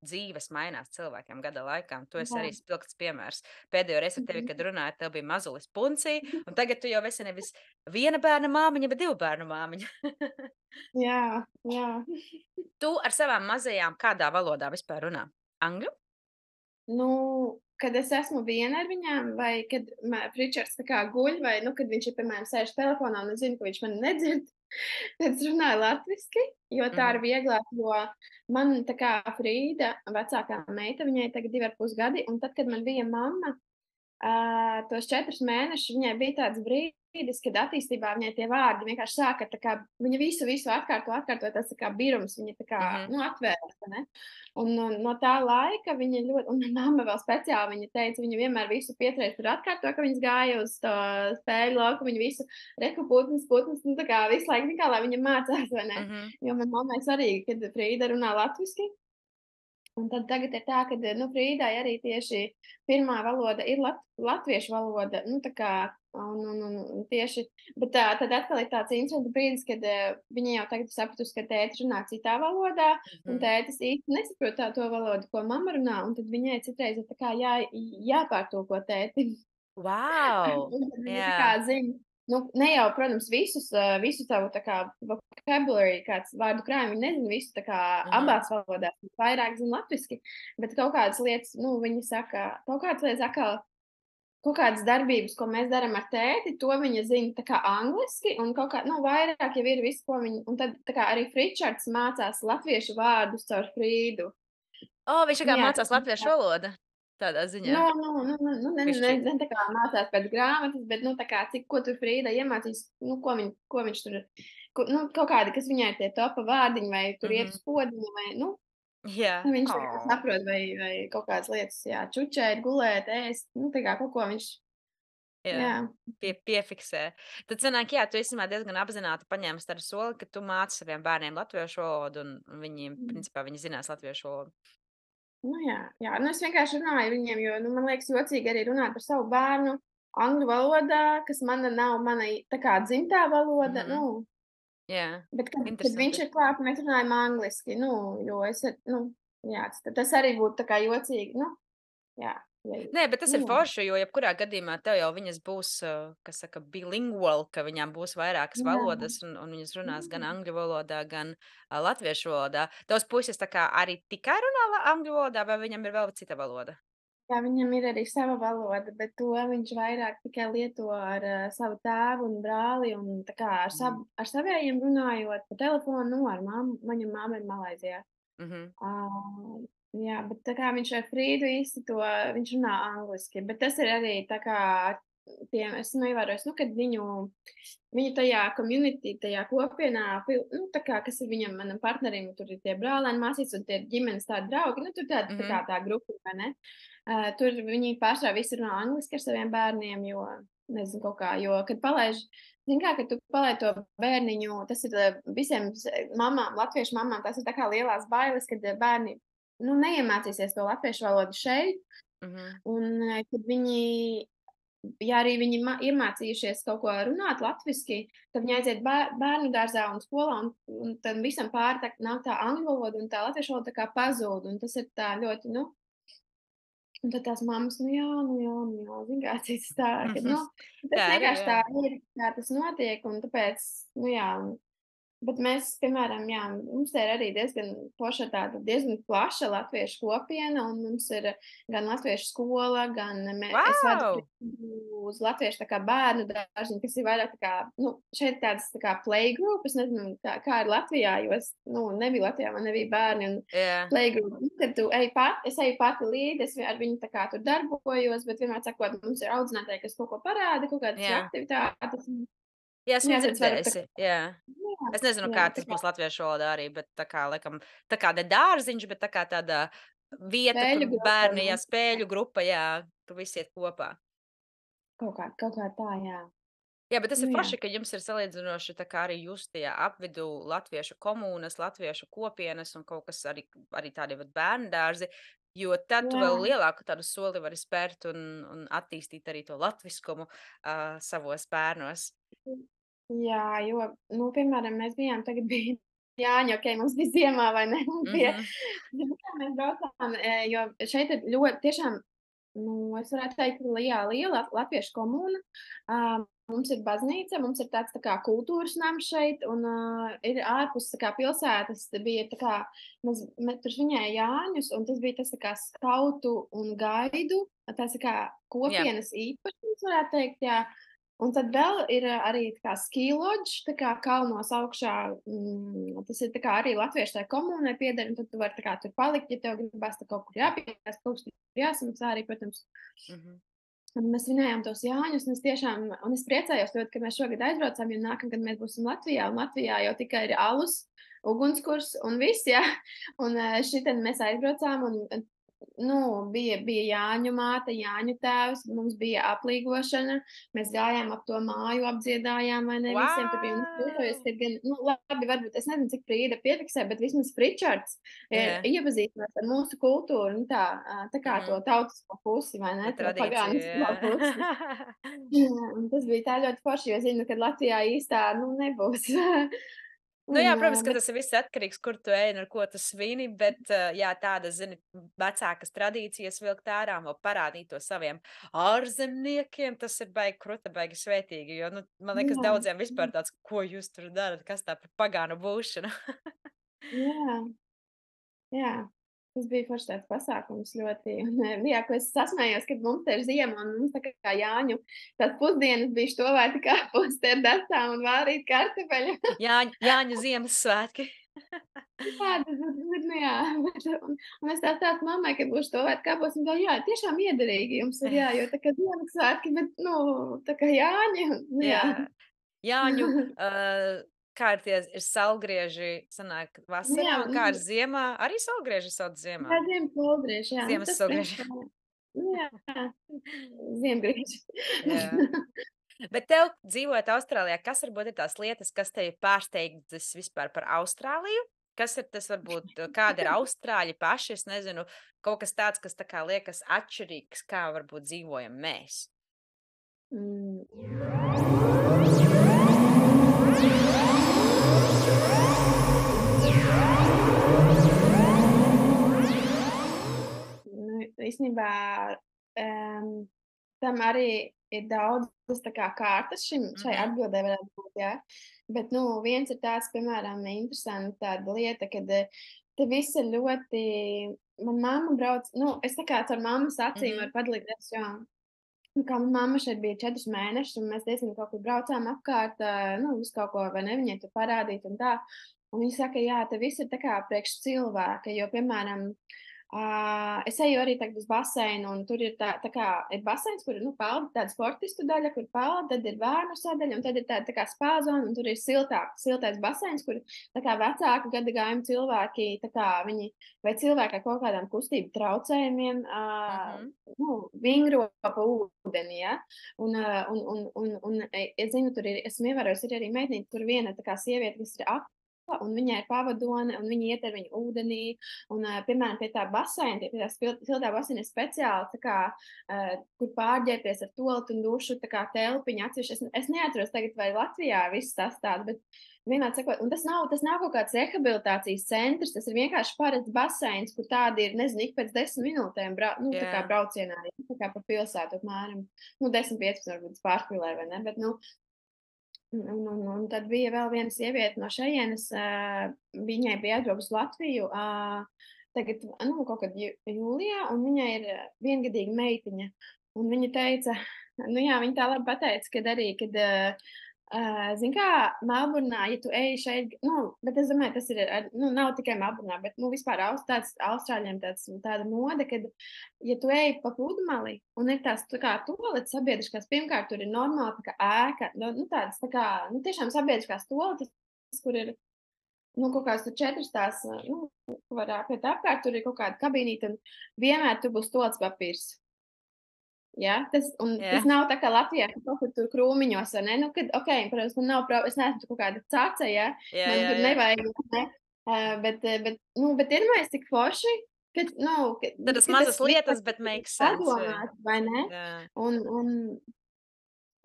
dzīves mainās cilvēkiem gada laikā. Un tu esi jā. arī spilgts piemērs. Pēdējo reizi ar tevi, Mhm. kad runāju, tev bija mazulis punci, un tagad tu jau esi nevis viena bērna māmiņa, bet 2 bērnu māmiņa. Jā, jā. Tu ar savām mazajām kādā valodā vispār runā? Angļu? Nu, kad es esmu viena ar viņām, vai kad Pričards tā kā guļ, vai, nu, kad viņš ir, piemēram, sēž telefonā un es zinu, ka viņš mani nedzird, tad es runāju latviski, jo tā ir Mhm, vieglāk, jo man tā kā Frīda, vecākā meita, viņai tagad 2,5 gadi, un tad, kad man bija mamma, tos 4 mēnešus viņai bija tāds brīdis, kad attīstībā viņai tie vārdi vienkārši sāka tā kā viņa visu atkārto, tas tā kā birums, viņa tā kā, mhm. nu, atvērās, vai ne? Un no tā laika viņa ļoti un mamma vēl speciāli viņa teica, viņa vienmēr visu 5 reizes tur atkārto, ka viņas gāja uz to spēļu lauku, viņa visu reku putnas, nu, tā kā visu laiku, tā kā lai viņa mācās, vai ne? Mhm. Jo man mammai svarīgi, kad Frīda runā latviski, un tad tagad ir tā, ka, nu, Frīdai arī tieši pirmā valoda ir latviešu valoda, nu, tā kā, un tieši, bet tad atkal ir tāds interesants brīdis, kad viņa jau tagad sapratusi, ka tētis runā citā valodā, un Mhm. tētis īsti nesaprot to valodu, ko mamma runā, un tad viņai citreiz ir tā kā jāpārtulko tētim. Wow! Un tad viņa tā kā Jā. zina, nu, ne jau, protams, visu tavu tā kā vocabulary, kāds vārdu krājumu, viņi nezina visu tā kā Mhm. abās valodās, vairāk zina latviski, bet kaut kādas lietas, nu, viņi saka, kaut kādas lietas atkal, kaut kādas darbības, ko mēs darām ar tēti, to viņa zina tā kā angliski, un kaut kā, nu, vairāk jau ir viss, ko viņi, un tad tā kā arī Fričards mācās latviešu vārdus caur Frīdu. Viņš tā Nu, kā jā, mācās latviešu valodu tādā ziņā. Nu, Bišķīt. ne tā kā mācās pēc grāmatas, bet, nu, tā kā cik, ko tur Frīda iemācīs, nu, ko viņš tur, nu, kaut kādi, kas viņai ir tie topa vārdiņi, vai tur iet Mhm. uz podziņa, vai, nu, Jā. viņš tā kā saprot, vai kaut kādas lietas, jā, čučēt, gulēt, ēst, nu, tā kā kaut ko viņš, Jā. jā. Piefiksē. Tad sanāk, jā, tu īstenībā diezgan apzināti paņēmis tādu soli, ka tu māci saviem bērniem latviešu valodu, un viņiem, Mm. principā, viņi zinās latviešu valodu. Nu, jā, nu, es vienkārši runāju viņiem, jo, nu, man liekas jocīgi arī runāt par savu bērnu angļu valodā, kas mana nav mana tā kā dzimtā valoda, Mhm. nu, Jā. bet, kad viņš Interesanti. ir klāt, mēs runājam angliski, nu, jo es, nu, jā, tas arī būtu tā kā jocīgi, nu, jā, ja, Nē, bet tas ir nu, jā. forši, jo jebkurā gadījumā tev jau viņas būs, kas saka, bilingual, ka viņām būs vairākas Jā, valodas, un viņas runās gan jā. angļu valodā, gan latviešu valodā. Tavs puisis tā kā arī tikai runā angļu valodā, vai viņam ir vēl cita valoda? Jā, viņam ir arī sava valoda, bet to viņš vairāk tikai lieto ar savu tēvu un brāli, un tā kā Mhm. ar savējiem runājot pa telefonu, nu, ar mammu, viņa mamma ir Malaizijā. Mhm. Ā, jā, bet tā kā viņš ar Frīdu īsti to viņš runā angliski, bet tas ir arī tā kā tiem esmu ievērojis, nu, kad viņu tajā community, tajā kopienā, nu, tā kā, kas ir manam partnerim, tur ir tie brālēni, māsītes un tie ģimenes tādi draugi, nu, tur tāda, tā kā tā grupa, vai ne? Tur viņi pārsvarā visi runā angliski ar saviem bērniem, jo, nezinu, kaut kā, jo, kad palaiž, zin kā, kad tu palaid to bērniņu, tas ir visiem mamām, latviešu mamām, tas ir tā kā lielās bailes, kad bērni, nu, neiemācīsies to latviešu valodu šeit, un kad viņi, ja arī viņi iemācījušies kaut ko runāt latviski, tad viņi aiziet bērnu dārzā un skolā, un tad visam pāri nāk tā angļu valoda un tā latviešu valoda tā kā pazūd, un tas ir tā ļoti, nu, un tad tās mammas, zini kā cits tā, ka, nu, tas Tā arī, vienkārši jā. tā ir, kā tas notiek, un tāpēc, nu jā, bet mēs, piemēram, jā, mums ir arī diezgan poša tāda diezgan plaša latviešu kopiena, un mums ir gan latviešu skola, gan es vadu Wow! uz latviešu tā kā bērnu dārziņu, kas ir vairāk tā kā, nu, šeit tādas tā kā playgroup, es nezinu, kā ir Latvijā, jo es, nu, nebiju Latvijā, man nebija bērni, un Jā, playgroup, nu, kad tu es eju pati līdzi, es ar viņu tā kā tur darbojos, bet vienmēr sakot, mums ir audzinātāji, kas kaut ko parāda, kaut kādas jā. aktivitātes, Jā, esmu jā, tad es varu tā dzirdējusi, jā. jā, Es nezinu, jā, kā tā tas kā būs latviešu valodā arī, bet tā kā, laikam, tā kā ne dārziņš, bet tā kā tāda vieta, kur spēļu grupa bērni, jā, mums spēļu grupa, jā, tur visi iet kopā. kaut kā tā, jā. Jā, bet tas ir Nu jā, forši, ka jums ir salīdzinoši tā kā arī jūs tajā apvidū latviešu komūnas, latviešu kopienas un kaut kas arī tādi vat bērndārzi, jo tad tu vēl jā, lielāku tādu soli vari spērt un attīstīt arī to latviskumu savos bērnos. jā, jo, nu, piemēram, mēs bijām tagad bija Jāņi, okei, mums bija ziemā, vai ne? Mums bija, Mhm. zini, kā mēs braucām, jo šeit ir ļoti tiešām, nu, es varētu teikt, liela latviešu komūna. Mums ir baznīca, mums ir tāds tā kā kultūras nams šeit, un ir ārpus tā kā pilsētas, bija tā kā, mēs tur svinēja Jāņus, un tas bija tas tā kā skautu un gaidu, tas tā kā Jā, kopienas īpašums, varētu teikt, jā. Un tad vēl ir arī tā kā ski lodge, tā kā kalnos augšā, tas ir tā kā arī latviešu tai komūnai pieder, un tad tu vari tā kā tur palikt, ja tev gribas tā kaut kur jāpiekās, kaut kas tur jāsamaksā arī, protams. mhm. Un mēs svinējām tos Jāņus, un es tiešām, un es priecājos ļoti, ka mēs šogad aizbraucām, jo nākamgad mēs būsim Latvijā, un Latvijā jau tikai ir alus, ugunskurs un viss, jā. Un šitien mēs aizbraucām, un nu, bija Jāņu māte, Jāņu tēvs, mums bija aplīgošana, mēs gājām ap to māju, apdziedājām, vai ne, visiem tur bija, un es priecājos, Wow! ka gan, nu, labi, varbūt, es nezinu, cik Frīda piefiksē, bet vismaz Fričards ir Jā, iepazīstinās ar mūsu kultūru, nu tā kā to mhm. tautisko pusi, vai To ne, to tradīciju, pagānisko pusi. jā. Jā, un tas bija tā ļoti forši, jo zinu, ka Latvijā īstā, nu, nebūs. Nu jā, Un, protams, ka bet tas ir viss atkarīgs, kur tu ej un ar ko tu svini, bet, jā, tādas, zini, vecākas tradīcijas vilkt ārā, vēl parādīt to saviem ārzemniekiem, tas ir baigi kruta, baigi svētīgi, jo, nu, man liekas, jā, daudziem vispār tāds, ko jūs tur darat, kas tā par pagānu būšana. jā. Jā, tas bija foršs tāds pasākums ļoti, un, jā, ko es sasmējos, kad mums te ir ziema, un mums tā kā Jāņu tās pusdienas bija štovēti kāposti ar datām un vārīt kartupeļu. Jāņu Ziemassvētki. Jā, tas ir, nu jā, un es tā stāstu mammai, ka būs štovēti kāposti, un tā, jā, tiešām iederīgi jums ir, jā, jo tā kā Ziemassvētki, bet, nu, tā kā Jāņi, nu jā. Jā, Jāņu, kā ir tie ir salgrieži, sanāk Nu jā, vasarā, un kā ir ziemā, arī salgrieži sauc ziemā. jā, ziemas poldrieši, jā, nu Ziemas tas salgrieži. principā, nu jā, ziemgrieži. Jā. Bet tev, dzīvojot Austrālijā, kas varbūt ir tās lietas, kas tevi pārsteidzis vispār par Austrāliju? Kas ir tas varbūt, kādi ir austrāļi paši? Es nezinu, kaut kas tāds, kas tā kā liekas atšķirīgs, kā varbūt dzīvojam mēs. Mm. Nu, īstenībā tam arī ir daudzas tā kā kārtas šai Mhm, atbildē varētu būt, jā. Bet, nu, viens ir tāds, piemēram, interesanti tāda lieta, kad te viss ir ļoti, man mamma brauc, nu, es tā kā caur mammas acīm mhm. varu padalīties, jo, nu, kā man mamma šeit bija 4 mēnešus, un mēs diezgan kaut kur braucām apkārt, nu, visu kaut ko, vai ne, viņai tur parādīt un tā. Un viņa saka, jā, te viss ir tā kā priekš cilvēka, jo, piemēram, Es eju arī tagad uz baseinu, un tur ir tā kā ir baseins, kur nu, pelda tāda sportistu daļa, kur pelda, tad ir bērnu sadaļa, un tad ir tāda tā kā spāzona, un tur ir siltais baseins, kur tā kā vecāku gadagājumu cilvēki, tā kā viņi vai cilvēki ar kaut kādām kustību traucējumiem, nu, vingro pa ūdeni, ja? Es zinu, tur ir, esmu ievērojusi, ir arī meitnīte, tur viena tā kā sieviete, kas ir un viņai ir pavadone, un viņa iet ar viņu ūdenī, un, piemēram, pie tā baseina, pie tā siltā baseina ir speciāli, tā kā, kur pārģērties ar tualetu un dušu, tā kā telpiņa atsevišķi. Es neatceros tagad, vai Latvijā viss tas tāds, bet vienmēr sakot, un tas nav kaut kāds rehabilitācijas centrs, tas ir vienkārši parasts baseins, kur tādi ir, nezinu, ik pēc 10 minūtēm, nu, tā kā braucienā, tā kā pa pilsētu apmēram, nu, 10-15 varbūt pārspīlē, vai ne, bet, nu, un tad bija vēl viena sieviete no šejienes, viņai bija aizbraukusi uz Latviju, tagad, nu, kaut kad jūlijā, un viņai ir viengadīga meitiņa. Un viņa teica, nu jā, viņa tā labi pateica, kad arī, kad, zini kā, Melburnā, ja tu ej šeit, nu, bet es domāju, tas ir, nu, nav tikai Melburnā, bet, nu, vispār Austrāļiem tāda mode, kad, ja tu ej pa pludmali un ir tās, tā kā, toaletes sabiedriskās, pirmkārt, tur ir normāli, tā kā ēka, nu, tādas, tā kā, nu, tiešām sabiedriskās toaletes, kur ir, nu, kaut kāds tur 4 tās, nu, var apiet apkārt, tur ir kaut kāda kabīnīte, un vienmēr tur būs toaletes papīrs. Ja, tas nav tā kā Latvijā, ka kaut kur tur krūmiņos, vai ne? Nu, kad, protams, man nav es neesmu kaut kāda caca, ja, man tur nevajag, ne? Bet iedomājies, cik forši, ka, nu, Tādas mazas lietas, bet make sense. Padomāt, vai ne? Un,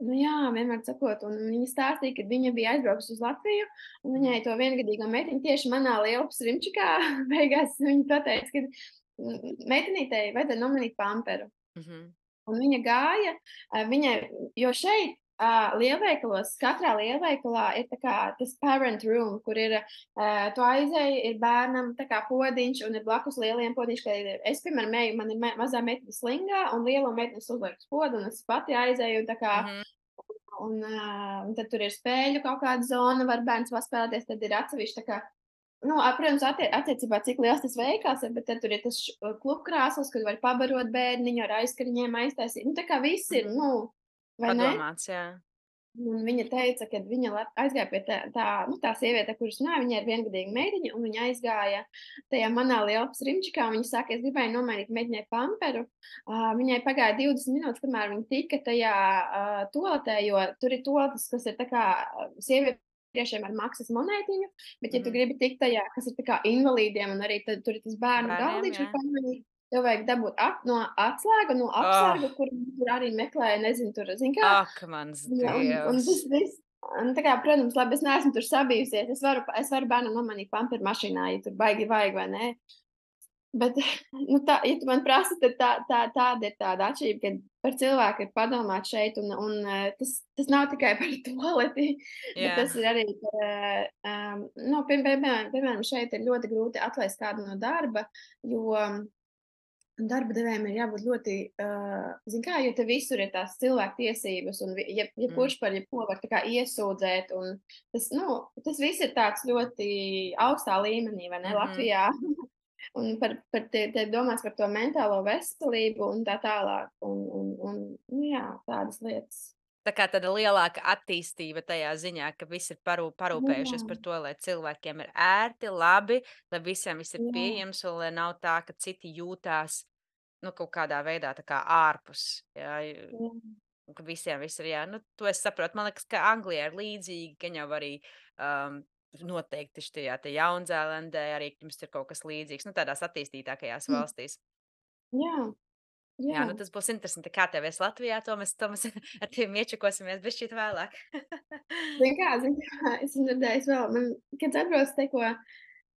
nu jā, vienmēr sakot, un viņa stāstīja, ka viņa bija aizbraukusi uz Latviju, un viņai to viengadīgo meitiņu tieši manā lielpas rimčikā beigās viņa pateica, ka meitenītei vajadzēja nomainīt pamperu. Un viņa gāja, jo šeit lielveikalos, katrā lielveikalā ir tā kā tas parent room, kur ir, tu aizēji, ir bērnam tā kā podiņš un ir blakus lieliem podiņš, ka es, piemēram, eju, man ir mazā meitene slingā un lielo meiteni uzliek uz podu un es pati aizēju un tā kā, un tad tur ir spēļu kaut kāda zona, var bērns paspēlēties, tad ir atsevišķi tā kā, nu, protams, attiecībā, cik liels tas veikals ir, bet tad tur ir tas klubkrāsls, kur var pabarot bērniņu ar aizkariņiem aiztaisīt. Nu, tā kā viss ir, nu, vai ne? Padomāts, jā. Un viņa teica, ka viņa aizgāja pie tā sieviete, kuras runāja, viņa ir viengadīga meitiņa, un viņa aizgāja tajā manā lielpas rimčikā, un viņa saka, es gribēju nomainīt meitiņai pamperu. Viņai pagāja 20 minūtes, kamēr viņa tika tajā toaletē, jo tur ir toaletes, kas ir tā kā sieviete, tiešām ar maksas monētiņu, bet, ja tu gribi tikt tajā, kas ir tā kā invalīdiem, un arī tad, tur ir tas bērnu galdiņš, tev vajag dabūt no atslēgu, no apsargu, kur arī meklēja, nezinu, tur, zin kā. Ak, mans Dievs. Un tas viss, tā kā, protams, labi, es neesmu tur sabijusies, es varu bērnam nomainīt pamperu mašīnā, ja tur baigi vajag, vai ne? Bet, nu, ja tu man prasi, tad tāda ir tāda atšķirība, ka par cilvēku ir padomāt šeit, un tas nav tikai par toaleti, bet tas ir arī par, nu, piemēram, šeit ir ļoti grūti atlaist kādu no darba, jo darba devējiem ir jābūt ļoti, zin kā, jo te visur ir tās cilvēku tiesības, un kurš par jebko var tā kā iesūdzēt, un tas viss ir tāds ļoti augstā līmenī, vai ne, Latvijā. Un te domās par to mentālo veselību un tā tālāk, un nu jā, tādas lietas. Tā kā tāda lielāka attīstība tajā ziņā, ka visi ir parūpējušies par to, lai cilvēkiem ir ērti, labi, lai visiem viss ir pieejams, un lai nav tā, ka citi jūtās, nu, kaut kādā veidā tā kā ārpus, jā, ka visiem viss ir, jā, nu, to es saprotu, man liekas, ka Anglijā ir līdzīgi, ka jau arī, noteikti štajā te Jaunzēlandē arī jums ir kaut kas līdzīgs, nu, tādās attīstītākajās valstīs. Jā, jā, nu, tas būs interesanti, kā tev ies Latvijā, to mēs ar tiem iečakosimies bešķīt vēlāk. Zin kā, es dzirdēju vēl, kad atbraucu tikko,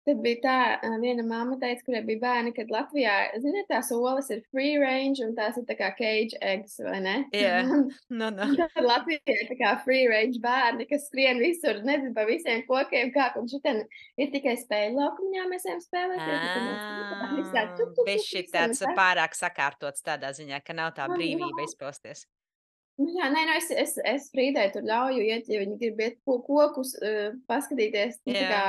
tad bija tā, viena mamma teica, kurai bija bērni, kad Latvijā, ziniet, tās olas ir free range un tās ir tā kā cage eggs, vai ne? Jā, no. Tad Latvijā ir tā kā free range bērni, kas skrien visur, nezinu, pa visiem kokiem, kā, un šitien ir tikai spēļu laukumiņā, mēs ejam spēlēties. Bišķi tāds pārāk sakārtots tādā ziņā, ka nav tā brīvība izpausties. Nu, jā, nē, es Frīdai tur ļauju iet, ja viņi grib iet kokus, paskatīties, tā kā,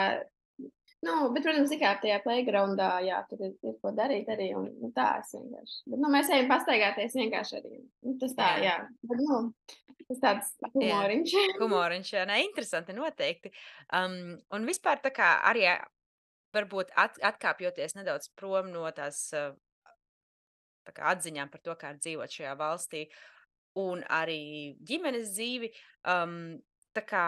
Bet, protams, tikai tajā playgroundā, jā, tur ir ko darīt arī, un tā es vienkārši. Bet, mēs ejam pastaigāties vienkārši arī. Tas tā, Jā, jā. Bet, tas tāds jā. humoriņš. Humoriņš, jā, nē, interesanti noteikti. Un vispār tā kā arī varbūt atkāpjoties nedaudz prom no tās tā kā atziņām par to, kā ir dzīvot šajā valstī, un arī ģimenes dzīvi, tā kā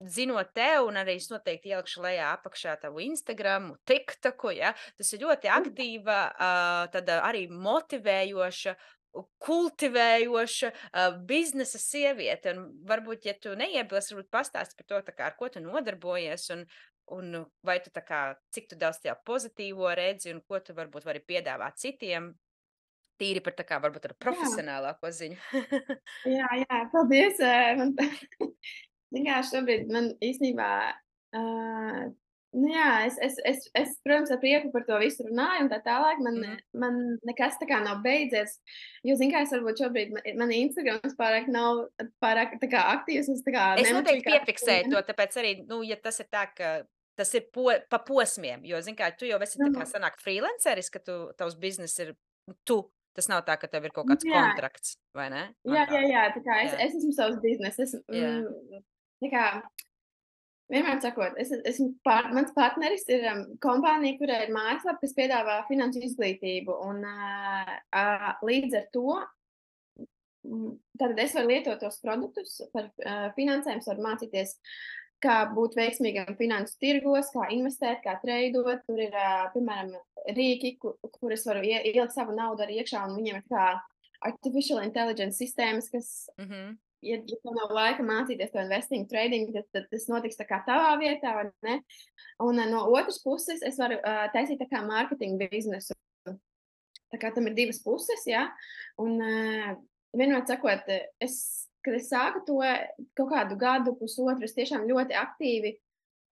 zinot tev, un arī es noteikti ielikšu lejā apakšā tavu Instagramu, TikToku, ja, tas ir ļoti aktīva, tāda arī motivējoša, kultivējoša biznesa sieviete. Un varbūt, ja tu neiebilsi, varbūt pastāsti par to, tā kā, ar ko tu nodarbojies, un vai tu tā kā, cik tu daudz tajā pozitīvo redzi, un ko tu varbūt vari piedāvāt citiem, tīri par tā kā varbūt ar Jā, profesionālāko ziņu. jā, paldies. Man, zini kā, šobrīd man īstenībā, jā, protams, ar prieku par to visu runāju un tā tālāk. Mhm. Man nekas tā kā nav beidzies, jo, zini kā, es varbūt šobrīd man Instagrams pārāk nav pārāk tā kā aktīvs, un es tā kā Es nemetīju noteikti katru piefiksēju dienu. to, tāpēc arī, nu, ja tas ir tā, ka tas ir pa posmiem, jo, zini kā, tu jau esi tā kā Nu, sanāk freelanceris, ka tavs biznes ir tu. Tas nav tā, ka tev ir kaut kāds jā, kontrakts, vai ne? Man tā. jā, tā kā Jā, es esmu savs biznes, jā. tā kā vienmēr sakot, mans partneris ir kompānija, kurai ir mājaslapa, kas piedāvā finansu izglītību. Un, līdz ar to tad es varu lietot tos produktus par finansēm, varu mācīties, kā būt veiksmīgam finansu tirgos, kā investēt, kā treidot. Tur ir, piemēram, rīki, kur es varu ielikt savu naudu arī iekšā, un viņiem ir kā artificial intelligence sistēmas, kas Mhm. ja tev nav laika mācīties to investing, trading, tad tas notiks tā kā tavā vietā, vai ne? Un no otras puses, es varu taisīt tā kā mārketinga biznesu. Tā kā tam ir divas puses, jā. Un vienmēr sakot, kad es sāku to kaut kādu gadu, pusotru, es tiešām ļoti aktīvi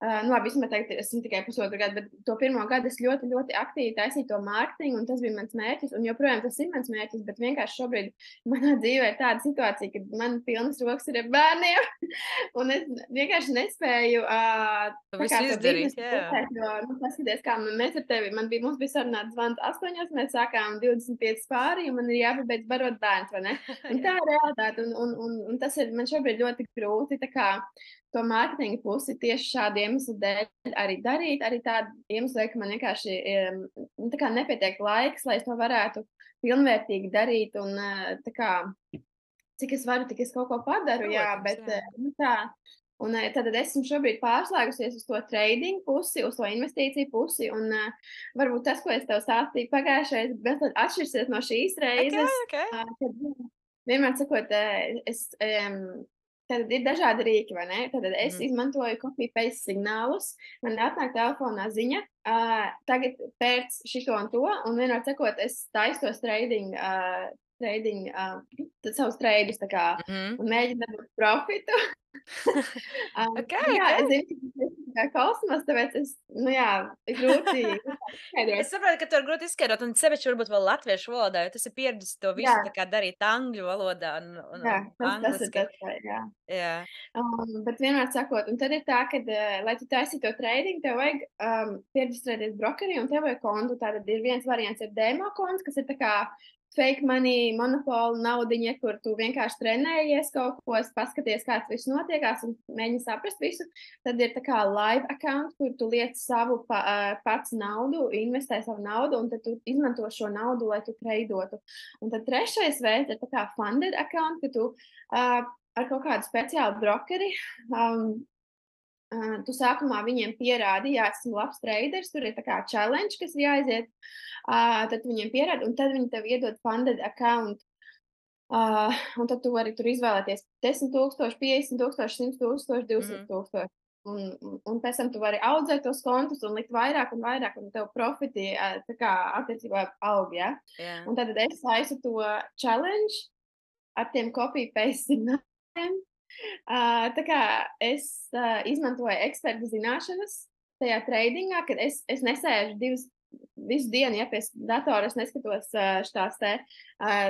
labi, vismaz teikt, esmu tikai pusotru gadu, bet to pirmo gadu es ļoti, ļoti aktīvi taisīju to mārketingu, un tas bija mans mērķis. Un joprojām tas ir mans mērķis, bet vienkārši šobrīd manā dzīvē ir tāda situācija, ka man pilnas rokas ir ar bērniem, un es vienkārši nespēju Tu tā kā visu to izdarīt, biznesu jā. turpēt, jo, paskaties, kā mēs ar tevi, mums bija sarunāts zvans 8, mēs sākām 25 pāri, un man ir jāpabeidz barot bērns, vai ne? Un tā Jā. ir realitāte, un tas ir man šobrīd ļoti grūti, tā kā to mārketinga pusi tieši šādu iemeslu dēļ arī darīt. Arī tādu iemeslu dēļ, ka man vienkārši tā kā nepietiek laiks, lai es to varētu pilnvērtīgi darīt. Un tā kā, cik es varu, tik es kaut ko padaru, jā, Protams, bet jā. tā. Un tad esmu šobrīd pārslēgusies uz to trading pusi, uz to investīciju pusi. Un varbūt tas, ko es tev stāstīju pagājušajā reizē, atšķirsies no šīs reizes. Okay. Kad vienmēr sakot, tad ir dažādi rīki, vai ne? Tad es Mhm. izmantoju copy-paste signālus. Man atnāk telefonā ziņa, tagad pēc šito un to, un vienmēr sakot, es taisu tos savus treidus, tā kā, Mhm. un mēģinu dabūt profitu. Jā, Okay. es zinu, ka tas ir kā kosmos, tāpēc jā, ir grūti Es izskaidrot. saprotu, ka to ir grūti izskaidrot, un sevišķi varbūt vēl latviešu valodā, jo tas ir pieredzis to Jā, visu tā kā darīt angļu valodā jā, un tas ir angliski. tas, jā. Jā. Bet vienmēr sakot, un tad ir tā, ka, lai tu taisītu to trading, tev vajag pierģistrēties brokerī un tev vajag kontu. Tātad ir viens variants ir demo konts, kas ir tā kā fake money, monopolu naudiņa, kur tu vienkārši trenējies kaut ko, paskaties, kā tas viss notiekās un mēģini saprast visu. Tad ir tā kā live account, kur tu liec savu pats naudu, investē savu naudu, un tad tu izmanto šo naudu, lai tu treidotu. Un tad trešais veids ir tā kā funded account, ka tu ar kaut kādu speciālu brokeri. Tu sākumā viņiem pierādi, jā, esmu labs traders, tur ir tā kā challenge, kas ir jāiziet. Tad viņiem pierādi, un tad viņi tev iedod funded account. Un tad tu vari tur izvēlēties 10,000, 50,000, 100,000, 200,000. Un pēc tam tu vari audzēt tos kontus un likt vairāk un vairāk, un tev profiti tā kā attiecībā aug, ja? Jā. Un tad es taisu to challenge ar tiem copy-paste signāliem. Tā kā es izmantoju eksperta zināšanas tajā tradingā, kad es nesēžu visu dienu, ja pie datora es neskatos tās te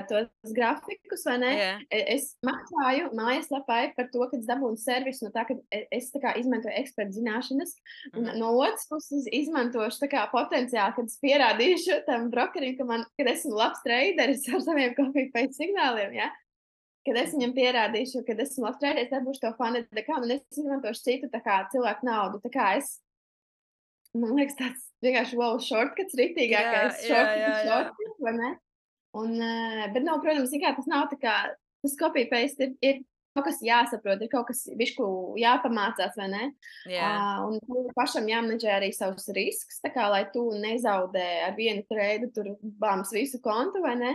tos grafikus, vai ne? Jā. Es maksāju mājaslapai par to, ka es dabūnu servisu no tā, ka es tā kā izmantoju ekspertu zināšanas, un no otras puses izmantošu tā kā potenciāli, kad es pierādīšu tam brokerim, kad esmu labs traderis ar saviem copy-paste signāliem, ja? Kad es viņam pierādīšu, ka esmu labs traderis, dabūšu to funded account, un es izmantošu citu tā kā cilvēku naudu. Tā kā man liekas, tāds vienkārši wow, shortcuts, ritīgākais Jā. shortcuts, vai ne? Un, bet, nu, protams, zini kā, tas nav tā kā, tas copy-paste ir kaut kas jāsaprot, ir kaut kas bišķu jāpamācās, vai ne? Jā. Un pašam jāmenedžē arī savus risks, tā kā, lai tu nezaudē ar vienu treidu tur bāms visu kontu, vai ne?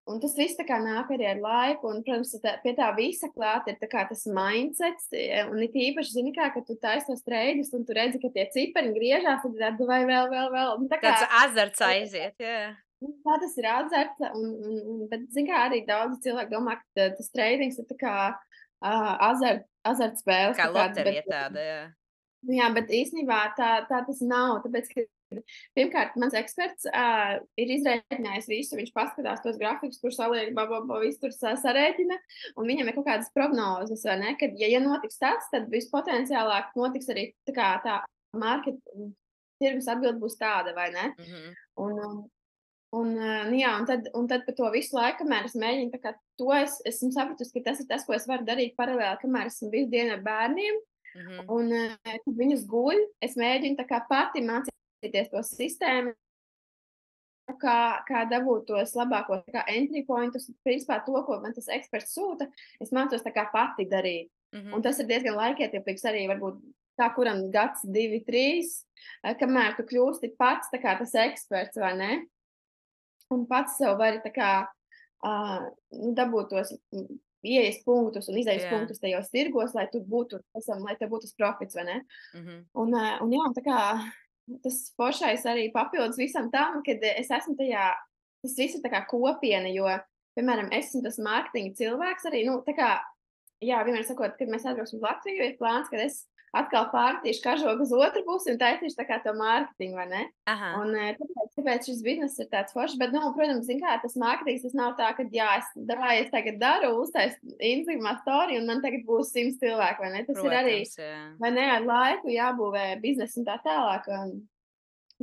Un tas viss tā kā nāk arī ar laiku, un, protams, pie tā visa klāt ir tā kā tas mindsets, un it īpaši, zini kā, ka tu taisi tos treidus, un tu redzi, ka tie cipari griežās, tad tad vai vēl. Un tā kā, Tāds azarts aiziet, jā. tā tas ir atzarts, bet, zini kā, arī daudzi cilvēki domā, ka tas treidings ir tā kā azart spēles. Kā tā kāds, loterija tāda, jā. Jā, bet īstenībā tā tas nav, tāpēc, ka pirmkārt, mans eksperts ir izrēķinājis visu, viņš paskatās tos grafikus, kur saliek, visu tur sarēķina, un viņam ir kaut kādas prognozes, vai ne, kad, ja notiks tas, tad vispotenciālāk notiks arī tā tirgus atbild būs tāda, vai ne? Un tad par to visu laiku, kamēr es mēģinu, tā kā to esmu sapratusi, ka tas ir tas, ko es varu darīt paralēli, kamēr esmu visu dienu ar bērniem, un kad viņus guļ, es mēģinu tā kā pati mācīties to sistēmu, kā dabūt tos labākos entry pointus, principā to, ko man tas eksperts sūta, es mācos tā kā pati darīt. Un tas ir diezgan laikietilpīgs arī varbūt tā, kuram gads, 2, 3, kamēr tu kļūsti pats tā kā tas eksperts, vai ne? Un pats sev vari tā kā dabūt tos ieejas punktus un izejas punktus tajos tirgos, lai tur būtu, lai tev būtu tas profits, vai ne? Un jā, tā kā tas foršais arī papildus visam tam, kad es esmu tajā, tas viss ir tā kā kopiena, jo, piemēram, esmu tas mārketinga cilvēks arī, nu, tā kā, jā, vienmēr sakot, kad mēs atbrauksim uz Latviju, ir plāns, kad es atkal pārmetīšu kažogu uz otru pusi un taisīšu tā kā to mārketingu, vai ne? Un tāpēc šis bizness ir tāds foršs, bet, nu, protams, zin kā, tas mārketings, tas nav tā, ka, jā, es tagad daru, uztaisu Instagramā story un man tagad būs 100 cilvēki, vai ne? Tas ir arī, vai ne, ar laiku jābūvē biznesu un tā tālāk.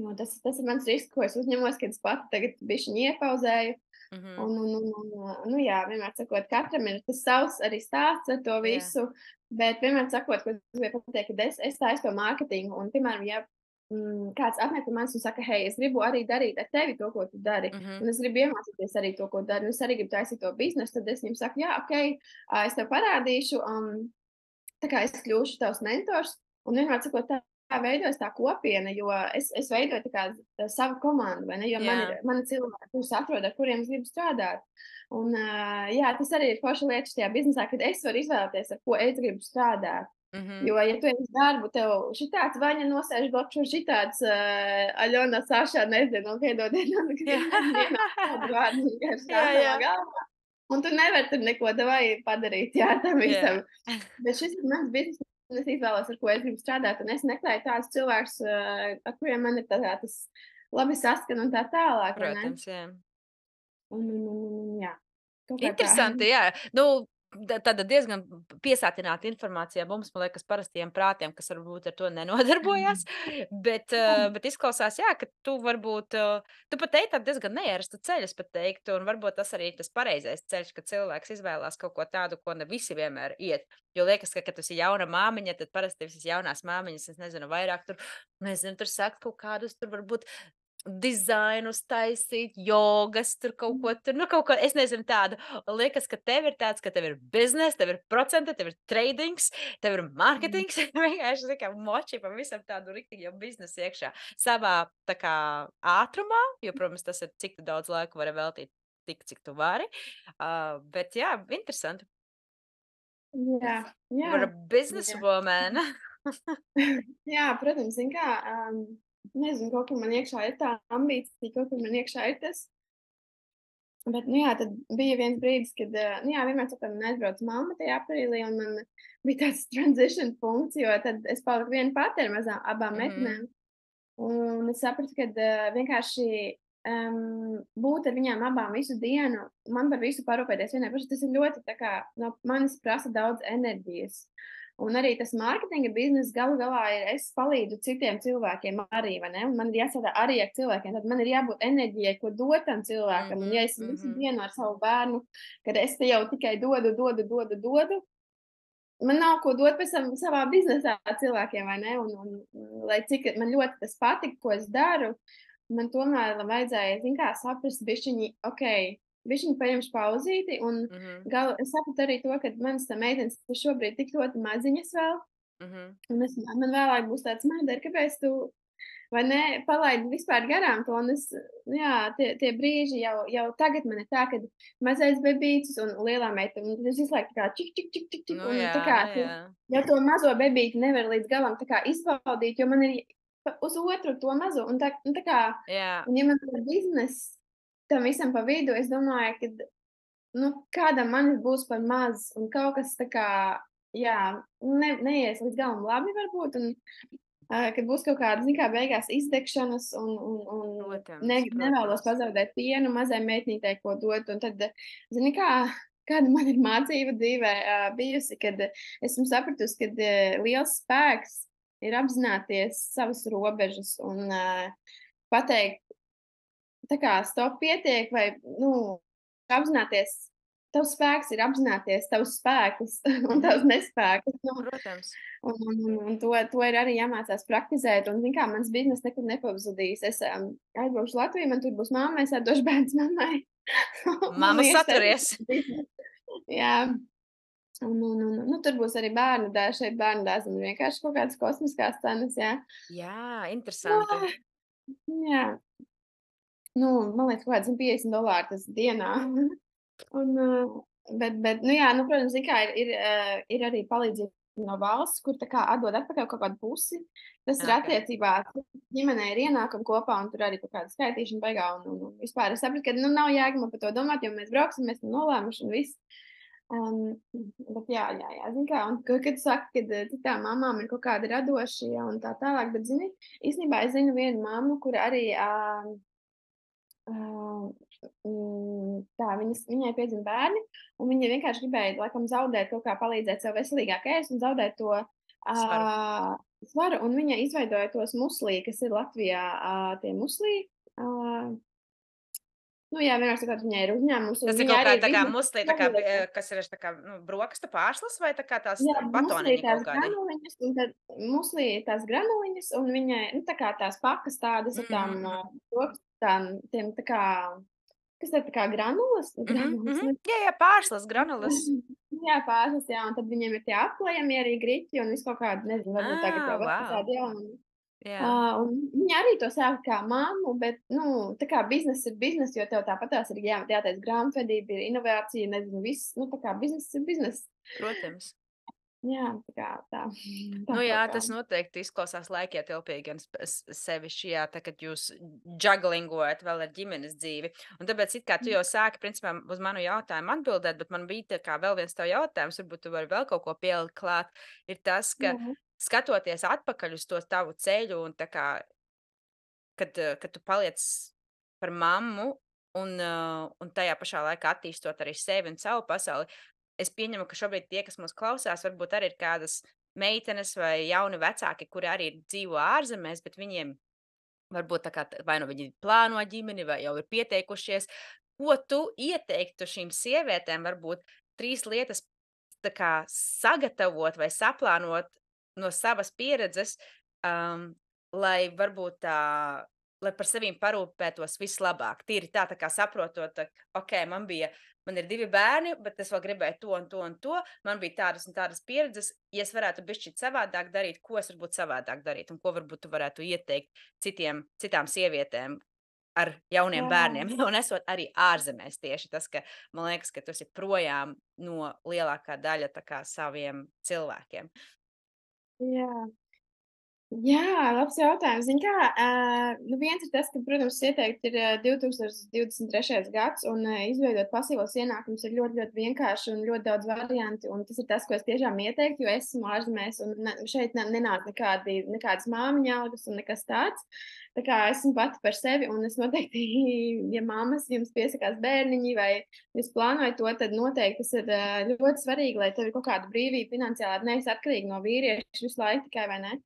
Jo tas ir mans risks, ko es uzņemos, kad es pati tagad bišķiņi iepauzēju. Nu jā, vienmēr sakot, katram ir tas savs arī stāsts ar to visu, bet vienmēr sakot, ko es gribēju pateikt, ka es taisu to mārketingu, un, piemēram, ja kāds atnāk pie manis un saka, hei, es gribu arī darīt ar tevi to, ko tu dari, un es gribu iemācīties arī to, ko dari, un es arī gribu taisīt to biznesu, tad es viņam saku, jā, ok, es tev parādīšu, tā kā es kļūšu tavs mentors, un vienmēr sakot, tā veidojas tā kopiena, jo es veidoju tā kā savu komandu, vai ne, jo mani cilvēki, kurus atrod, ar kuriem es gribu strādāt. Un, jā, tas arī ir forša lieta šajā biznesā, kad es varu izvēlēties, ar ko es gribu strādāt. Jo, ja tu esi darbu, tev šitāds Vaņa nosēž blokšo, šitāds Aļona Sašā, nezinu, un piedodiet, un tu nevari tur neko davai padarīt, jā, tam visam. Bet šis ir mans biznes, un es izvēlos, ar ko es gribu strādāt, un es meklēju tādus cilvēkus, ar kuriem man ir tas labi saskan un tā tālāk. Protams, jā. Jā. Interesanti, jā. Nu, tāda diezgan piesātināta informācija mums, man liekas, parastiem prātiem, kas varbūt ar to nenodarbojas, bet izklausās, jā, ka tu varbūt, tu pat ej tādu diezgan neierasta ceļu, es pat teiktu, un varbūt tas arī tas pareizais ceļš, ka cilvēks izvēlās kaut ko tādu, ko ne visi vienmēr iet. Jo liekas, ka, kad tu esi jauna māmiņa, tad parasti visas jaunās māmiņas, es nezinu, vairāk tur sakt kaut kādus, tur varbūt dizainus taisīt, jogas, tur kaut ko, kaut ko, es nezinu tādu. Liekas, ka tev ir tāds, ka tev ir biznes, tev ir procenti, tev ir tradings, tev ir marketings, vienkārši, kā moči pa visam tādu riktīgi jau biznesu iekšā. Savā, tā kā, ātrumā, jo, protams, tas ir, cik tu daudz laika vari veltīt, tik, cik tu vari. Bet, jā, interesanti. Jā. You're a businesswoman. Jā, protams, zin kā, nezinu, kaut kur man iekšā ir tā ambīcija, kaut kur man iekšā ir tas. Bet, nu jā, tad bija viens brīdis, kad, nu jā, vienmēr sakot, man aizbrauca mamma tajā aprīlī, un man bija tāds transition punkts, jo tad es paliku viena pati ar abām meitenēm. Un es sapratu, ka vienkārši būt ar viņām abām visu dienu, man par visu parūpēties vienai pašai, tas ir ļoti tā kā no manis prasa daudz enerģijas. Un arī tas mārketinga bizness galu galā ir, es palīdzu citiem cilvēkiem arī, vai ne? Un man ir jāstrādā arī ar cilvēkiem, tad man ir jābūt enerģijai, ko dot tam cilvēkam. Un ja es visu dienu ar savu bērnu, kad es te jau tikai dodu, man nav ko dot pēc tam savā biznesā cilvēkiem, vai ne? Lai cik man ļoti tas patika, ko es daru, man tomēr vajadzēja, zin kā, saprast bišķiņi, bišķiņi paņemšu pauzīti, un es sapratu arī to, ka manas meitenes ir šobrīd tik ļoti maziņas vēl, un man vēlāk būs tāds, Mādara, kāpēc tu, vai ne, palaidi vispār garām to, un tie brīži jau tagad man ir tā, kad mazais bebītis un lielā meitene, un es visu laiku tā kā čik, Nu un jā, tā kā, nu jā. ja to mazo bebīti nevar līdz galam tā kā izbaudīt, jo man ir uz otru to mazo, un tā kā, Jā. un ja man ir biznes tam visam pa vidu, es domāju, ka, kādam manis būs par maz, un kaut kas tā kā, neies līdz galam labi varbūt, un kad būs kaut kāda, zin kā, beigās izdegšanas, un nevēlos pazaudēt pienu mazai meitnītei, ko dot, un tad, zini kā, kāda man ir mācība dzīvē bijusi, kad esmu sapratusi, kad liels spēks ir apzināties savas robežas un pateikt, tā kā stop pietiek, vai, apzināties, tavs spēks ir apzināties tavus spēkus un tavus nespēkus. Protams. Un to ir arī jāmācās praktizēt, un, zin kā, mans biznes nekur nepazudīs. Es aizbraukšu Latviju, man tur būs mamma, es atdošu bērns mammai. Mamma saturies. Jā. Tur būs arī bērnu dārzi, šeit bērnu dārzam ir vienkārši kaut kādas kosmiskās cenas, jā. Jā, interesanti. Jā. Man liekas, kaut kāds $50 tas dienā. Bet, protams, zin kā, ir arī palīdzība no valsts, kur tā kā atdod atpakaļ kaut kādu pusi. Tas ir attiecībā, ģimenei ir ienākumi kopā, un tur arī kaut kāda skaitīšana beigā, un vispār es sapratu, ka, nav jēga man par to domāt, jo mēs brauksim, mēs nolēmuši un viss. Bet jā, zin kā, un kad tu saki, ka citām mamām ir kaut kādi radošie un tā tālāk, bet, zini, īstenībā es zinu vienu mammu, kur arī viņai piedzima bērni, un viņa vienkārši gribēja, laikam, zaudēt kaut kā palīdzēt sev veselīgāk ēst un zaudēt to svaru, un viņa izveidoja tos muslī, kas ir Latvijā, tie muslī. Vienmēr sakot, viņai ir uzņēmums. Tas ir kaut kā tā kā muslī, tā kā, kas ir tā kā, brokastu pārslas vai tā kā tās batoniņi kaut kādi? Granuliņas, un tad muslī tās granuliņas, un viņai, tā kā tās pakas tādas ar tām tiem tā kā, kas ir tā kā granulas? Jā, pārslas, granulas. Jā, pārslas, jā, un tad viņiem ir tie aplējami arī griķi, un visu kaut kādu, nezinu, varbūt tagad jau tādi, un viņa arī to sāka kā mammu, bet, tā kā biznes ir biznes, jo tev tāpatās ir jāteic grāmatvedība, ir inovācija, nezinu, viss, tā kā biznes ir biznes. Protams. Jā, tā kā tā. Jā, tas noteikti izklausās laikietilpīgi, gan sevišķi, tā, kad jūs juglingojat vēl ar ģimenes dzīvi. Un tāpēc, it kā tu jau sāki, principā, uz manu jautājumu atbildēt, bet man bija tā kā vēl viens tev jautājums, varbūt tu vari vēl kaut ko pielikt klāt, ir tas, ka skatoties atpakaļ uz to tavu ceļu un tā kā, kad tu paliec par mammu un tajā pašā laikā attīstot arī sevi un savu pasauli, es pieņemu, ka šobrīd tie, kas mūs klausās, varbūt arī ir kādas meitenes vai jauni vecāki, kuri arī dzīvo ārzemēs, bet viņiem varbūt tā kā vai nu viņi plāno ģimeni vai jau ir pieteikušies. Ko tu ieteiktu šīm sievietēm, varbūt 3 lietas tā kā sagatavot vai saplānot no savas pieredzes, lai varbūt lai par sevīm parūpētos vislabāk. Tīri tā kā saprotot, man ir 2 bērni, bet es vēl gribēju to un to un to. Man bija tādas un tādas pieredzes. Ja es varētu bišķīt savādāk darīt, ko es varbūt savādāk darīt un ko varbūt tu varētu ieteikt citām sievietēm ar jauniem bērniem. Un esot arī ārzemēs tieši tas, ka man liekas, ka tu esi projām no lielākā daļa tā kā saviem cilvēkiem. Jā. Jā, labs jautājums. Zini kā, nu viens ir tas, ka, protams, ieteikt ir 2023. gads, un izveidot pasīvos ienākumus ir ļoti, ļoti vienkārši un ļoti daudz varianti. Un tas ir tas, ko es tiešām ieteiktu, jo es esmu ārzemēs, un šeit nenāk nekādas māmiņa algas un nekas tāds. Tā kā esmu pati par sevi, un es noteikti, ja mammas jums piesakās bērniņi vai jūs plānojat to, tad noteikti tas ir ļoti svarīgi, lai tev ir kaut kāda brīvība finansiāli, nevis atkarīgi no vīrieša visu laiku tikai, vai ne?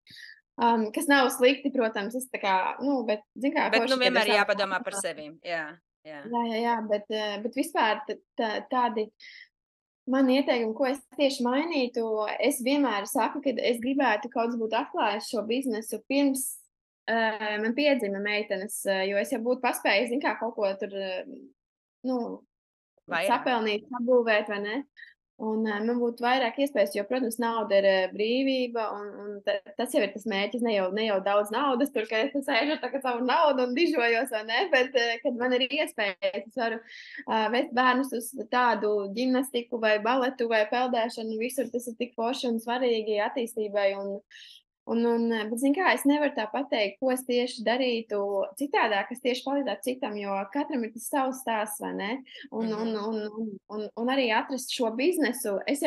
Kas nav slikti, protams, es tā kā, nu, bet, zin kā, Bet, nu, forši, kad vienmēr es tādu jāpadomā par sevīm. Jā, jā. jā, bet vispār tādi mani ieteikumi, ko es tieši mainītu, es vienmēr saku, ka es gribētu kaut kas būt atklājis šo biznesu pirms man piedzima meitenes, jo es jau būtu paspējis, zin kā, kaut ko tur, nu, Vairāk. sapelnīt, sabūvēt, vai ne? Un man būtu vairāk iespējas, jo, protams, nauda ir brīvība, un tas jau ir tas mērķis. Ne jau daudz naudas, tur, ka es sēžu ar savu naudu un dižojos, vai ne? Bet, kad man ir iespējas, es varu vest bērnus uz tādu ģimnastiku vai baletu vai peldēšanu, visur tas ir tik forši un svarīgi attīstībai. Bet, zini kā, es nevaru tā pateikt, ko es tieši darītu citādāk, kas tieši palīdzētu citam, jo katram ir tas savs stāsts, vai ne? Un, un, Mhm. un arī atrast šo biznesu, es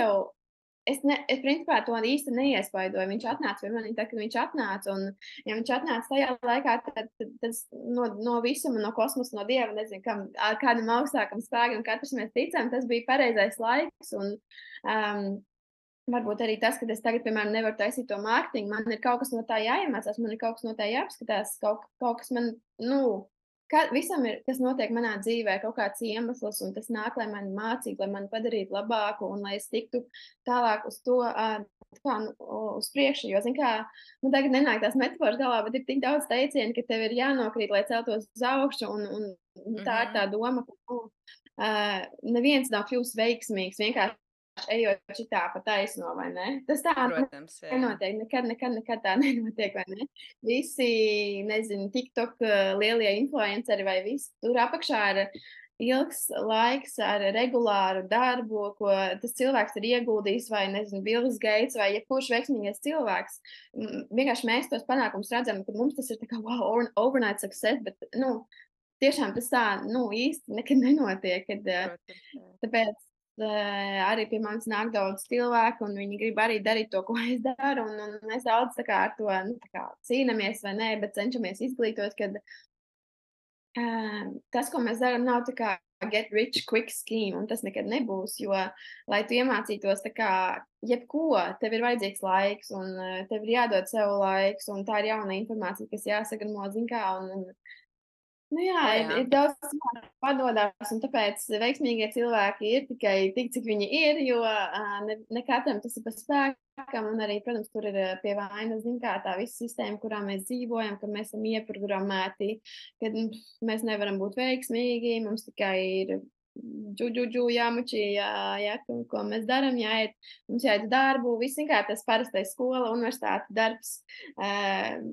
principā to īsti neiespaidoju. Viņš atnāca pie manis, kad viņš atnāca, un ja viņš atnāca tajā laikā, tad tas no visuma, no kosmosa, no Dieva, nezinu, kādam augstākam spēkam, katrs mēs ticam, tas bija pareizais laiks, un varbūt arī tas, ka es tagad, piemēram, nevaru taisīt to mārketingu, man ir kaut kas no tā jāiemācās, man ir kaut kas no tā jāapskatās, kaut kas man, nu, visam ir, kas notiek manā dzīvē, kaut kāds iemesls, un tas nāk, lai mani mācītu, lai mani padarītu labāku, un lai es tiktu tālāk uz to, uz priekšu, jo, zin kā, nu, tagad nenāk tās metaforas galvā, bet ir tik daudz teicienu, ka tev ir jānokrīt, lai celtos uz augšu, un tā ir Mhm. tā doma, ka, neviens nav kļūst veiksmīgs, vienkārši ejot šitā pa taisno, vai ne? Tas tā Protams, jā. nenotiek, nekad tā nenotiek, vai ne? Visi, nezinu, TikTok lielie influenceri vai visi tur apakšā ir ilgs laiks ar regulāru darbu, ko tas cilvēks ir ieguldījis, vai, nezinu, Bills Gates vai jebkurš veiksmīgais cilvēks. Vienkārši mēs tos panākumus redzam, ka mums tas ir tā kā, wow, overnight success, bet, nu, tiešām tas tā, nu, īsti nekad nenotiek, Protams, jā. tāpēc arī pie manis nāk daudz cilvēku, un viņi grib arī darīt to, ko es daru, un mēs daudz tā kā ar to, nu, tā kā cīnamies vai nē, bet cenšamies izglītot, kad tas, ko mēs darām, nav tā kā get rich quick scheme, un tas nekad nebūs, jo, lai tu iemācītos tā kā jebko, tev ir vajadzīgs laiks, un tev ir jādod sev laiks, un tā ir jauna informācija, kas jāsagramo, zin kā, un nu jā, O, ir jā. daudz cilvēku, kas padodas, un tāpēc veiksmīgie cilvēki ir tikai tik, cik viņi ir, jo ne katram tas ir pa spēkam, un arī, protams, tur ir pie vainas, zin kā, tā visa sistēma, kurā mēs dzīvojam, ka mēs esam ieprogrammēti, kad mēs nevaram būt veiksmīgi, mums tikai ir jāmučī, ko mēs darām, jāiet, mums jāiet uz darbu, viss vienkārši tas parastais skola, universitāte, darbs,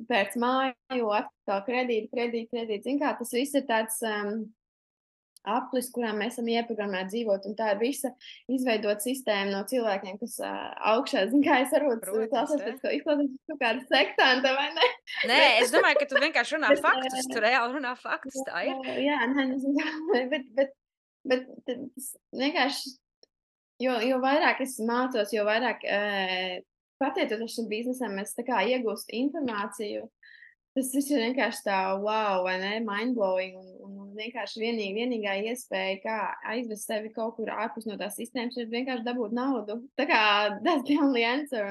pēc māju, atkal kredīti, zin kā, tas viss ir tāds aplis, kurā mēs esam ieprogrammēti dzīvot, un tā ir visa izveidot sistēma no cilvēkiem, kas augšā, zin kā, es varbūt Protams, klausos jā. pēc ko izklausās kaut kāda sektanta, vai ne? Nē, es Bet, domāju, ka tu vienkārši runā bet, faktus, tu reāli runā faktus, tā ir. jā, nē, nezinu, bet tas vienkārši jo vairāk es mācos, jo vairāk, pateicoties šim biznesam, es tā kā iegūstu informāciju, tas viss ir vienkārši tā wow, vai ne, mind-blowing, un vienkārši vienīgā iespēja, kā aizvest sevi kaut kur ārpus no tās sistēmas, ir vienkārši dabūt naudu. Tā kā that's the only answer,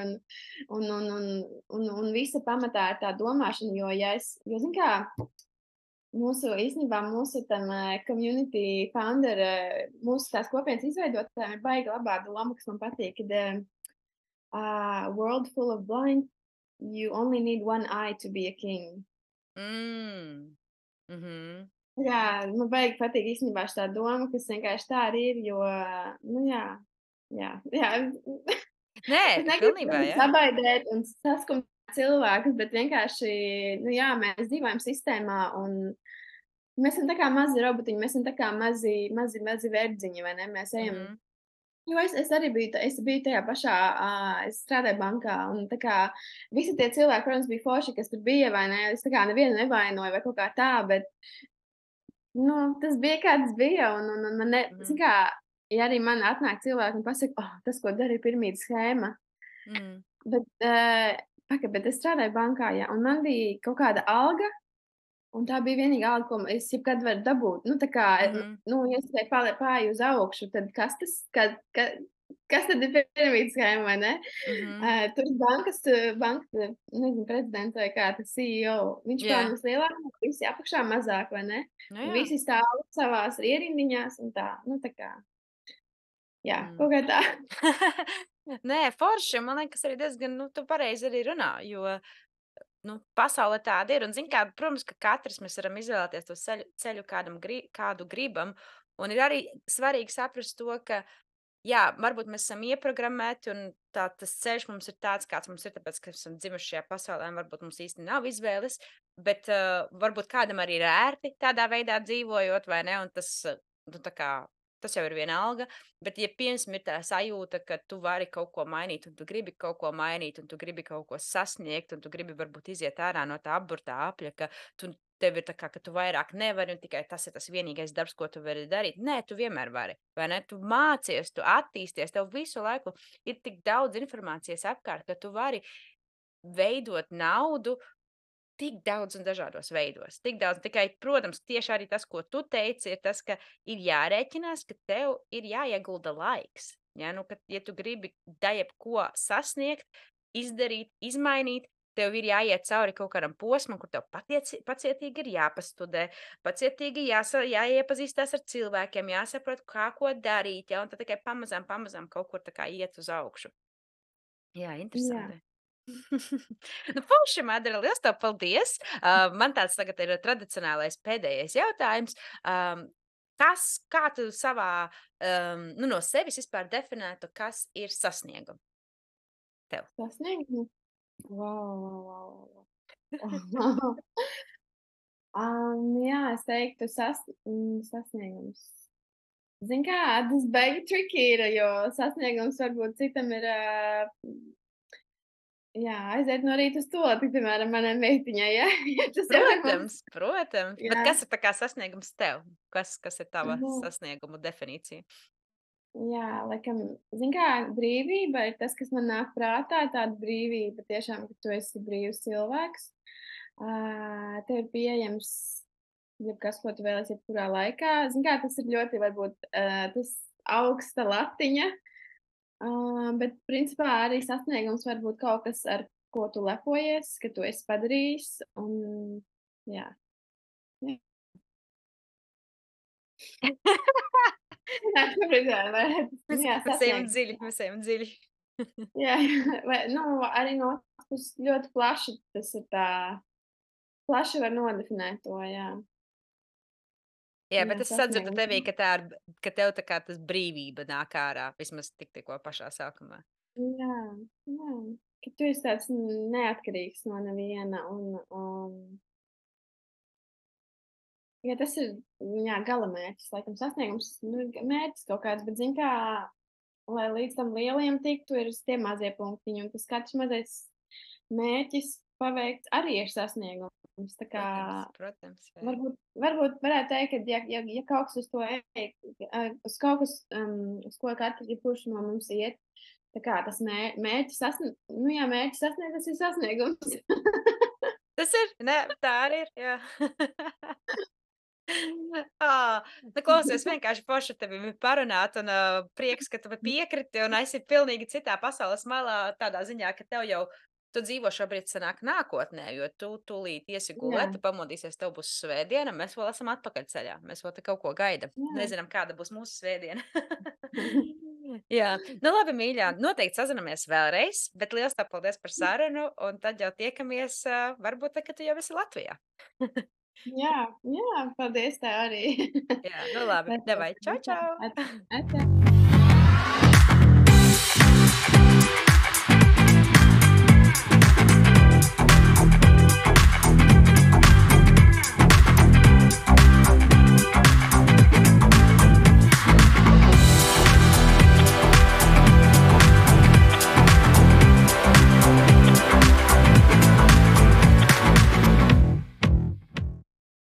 un visa pamatā ir tā domāšana, jo, zin kā, mūsu tam community founder, mūsu tās kopienas izveidotājiem ir baigi labā doma, kas man patīk, kad world full of blind, you only need one eye to be a king. Mm. Mhm. Jā, man baigi patīk īstenībā šī doma, kas vienkārši tā arī ir, jo, nu jā. Nē, Es negribu, pilnībā, protams, jā. sabaidēt un saskumt cilvēkus, bet vienkārši, nu jā, mēs dzīvojam sistēmā, un mēs esam tā kā mazi robotiņi, mēs esam tā kā mazi verdziņi, vai ne? Mēs ejam Mhm. Jo es arī biju tajā pašā, es strādāju bankā, un tā kā visi tie cilvēki, protams, bija forši, kas tur bija, vai ne? Es tā kā nevienu nevainoju vai kaut kā tā, bet, nu, tas bija, kā tas bija, un man Mhm. zini kā, ja arī man atnāk cilvēki un pasaka: "Oh, tas, ko darīja piramīdas schēma." Mm. Bet, bet es strādāju bankā, jā, un man bija kaut kāda alga. Un tā bija vienīgā alga, ko es jebkad varu dabūt. Nu, tā kā, Mhm. ja es tikai pāreju uz augšu, tad kas tas, kas tad ir piramīdas schēma, vai ne? Mhm. Tur bankas, nezinu, prezidents vai kā tas CEO, viņš Jā, pelna vislielāk, visi apakšā mazāk, vai ne? nu Un jā. visi stāv savās ierindiņās un tā, nu, tā kā, jā, Mm. kaut kā tā. Nē, forši, man liekas, arī diezgan, nu, tu pareizi arī runā, jo, nu, pasaule tāda ir. Un, zini, kā, protams, ka katrs mēs varam izvēlēties to ceļu kādu gribam. Un ir arī svarīgi saprast to, ka, jā, varbūt mēs esam ieprogrammēti, un tas ceļš mums ir tāds, kāds mums ir, tāpēc, ka esam dzimuši šajā pasaulē, un varbūt mums īsti nav izvēles, bet varbūt kādam arī ir ērti tādā veidā dzīvojot, vai ne? Un tas, nu, tā kā, tas jau ir vienalga. Bet, ja piemēram, ir tā sajūta, ka tu vari kaut ko mainīt, un tu gribi kaut ko mainīt, un tu gribi kaut ko sasniegt, un tu gribi varbūt iziet ārā no tā apburtā apļa, ka tev ir tā kā, ka tu vairāk nevari, un tikai tas ir tas vienīgais darbs, ko tu vari darīt. Nē, tu vienmēr vari. Vai ne? Tu mācies, tu attīsties, tev visu laiku ir tik daudz informācijas apkārt, ka tu vari veidot naudu tik daudz un dažādos veidos. Tik daudz, tikai, protams, tieši arī tas, ko tu teici, ir tas, ka ir jārēķinās, ka tev ir jāiegulda laiks. Ja, nu, kad, ja tu gribi jebko sasniegt, izdarīt, izmainīt, tev ir jāiet cauri kaut kādam posmam, kur tev pacietīgi ir jāpastudē, pacietīgi jāiepazīstās ar cilvēkiem, jāsaprot, kā ko darīt, ja, un tad tikai pamazām, pamazām kaut kur tā kā iet uz augšu. Jā, Jā. interesanti. Nu, forši, Madara, liels tev paldies! Man tāds tagad ir tradicionālais pēdējais jautājums. Kā tu savā, nu, no sevis vispār definētu, kas ir sasniegumi tev? Sasniegumu? Vau, vau, vau, vau. Jā, es teiktu sasniegums. Zini kā, tas baigi tricky ir, jo sasniegums varbūt citam ir, jā, aiziet no rīta uz toleti, piemēram, manai meitiņai, ja, ja tas jau ir mums, Protams, protams. Bet jā, kas ir tā kā sasniegums tev? Kas ir tava nu, sasniegumu definīcija? jā, laikam, zini kā, brīvība ir tas, kas man nāk prātā, tāda brīvība tiešām, ka tu esi brīvs cilvēks. Tev ir pieejams jebkas, ko tu vēlies jebkurā laikā. Zini kā, tas ir ļoti varbūt, tas augsta latiņa, bet principā arī sasniegums var būt kaut kas, ar ko tu lepojies, ka tu esi padarījis, un jā. Jā. Nē, šobrīd vai Mēs, jā, mēs ejam sasniegums. dziļi, mēs ejam dziļi. Jā, vai, nu, arī no otras puses ļoti plaši tas ir tā, plaši var nodefinēt to, jā. Jā, bet Jā, es sadzirdu tevī, sasniegums. ka tev tā kā tas brīvība nāk ārā, vismaz tikko pašā sākumā. Jā, jā, ka tu esi tāds neatkarīgs no neviena ja tas ir, jā, galamērķis, laikam sasniegums, nu, mērķis kaut kāds, bet zini kā, lai līdz tam lielajam tiktu, ir tie mazie punktiņi, un tas katrs mazais mērķis paveikts arī ir sasniegums. Tā kā Protams, protams, jā. varbūt varētu teikt, ka ja kaut kas uz to ej, uz kaut kas, uz ko jebkurš no mums iet, tā kā tas mērķis sasniegt, nu jā, mērķis sasniegt, tas ir sasniegums. Tas ir, ne, tā arī ir, jā. Nu, klausies, vienkārši forši ar tevi parunāt, un prieks, ka tu man piekriti, un esi pilnīgi citā pasaules malā, tādā ziņā, ka tev jau, tu dzīvo šobrīd sanāk nākotnē, jo tu tūlīt iesi Jā, gulēt, tu pamodīsies, tev būs svētdiena, mēs vēl esam atpakaļ ceļā, mēs vēl te kaut ko gaidam. jā. Nezinām, kāda būs mūsu svētdiena. Jā, nu labi, mīļā, noteikti sazinamies vēlreiz, bet liels tev paldies par sarunu, un tad jau tiekamies, varbūt, tad, kad tu jau esi Latvijā. Jā, jā, paldies tev arī. Jā, nu labi, Lai tev davai, čau, atā čau! atā.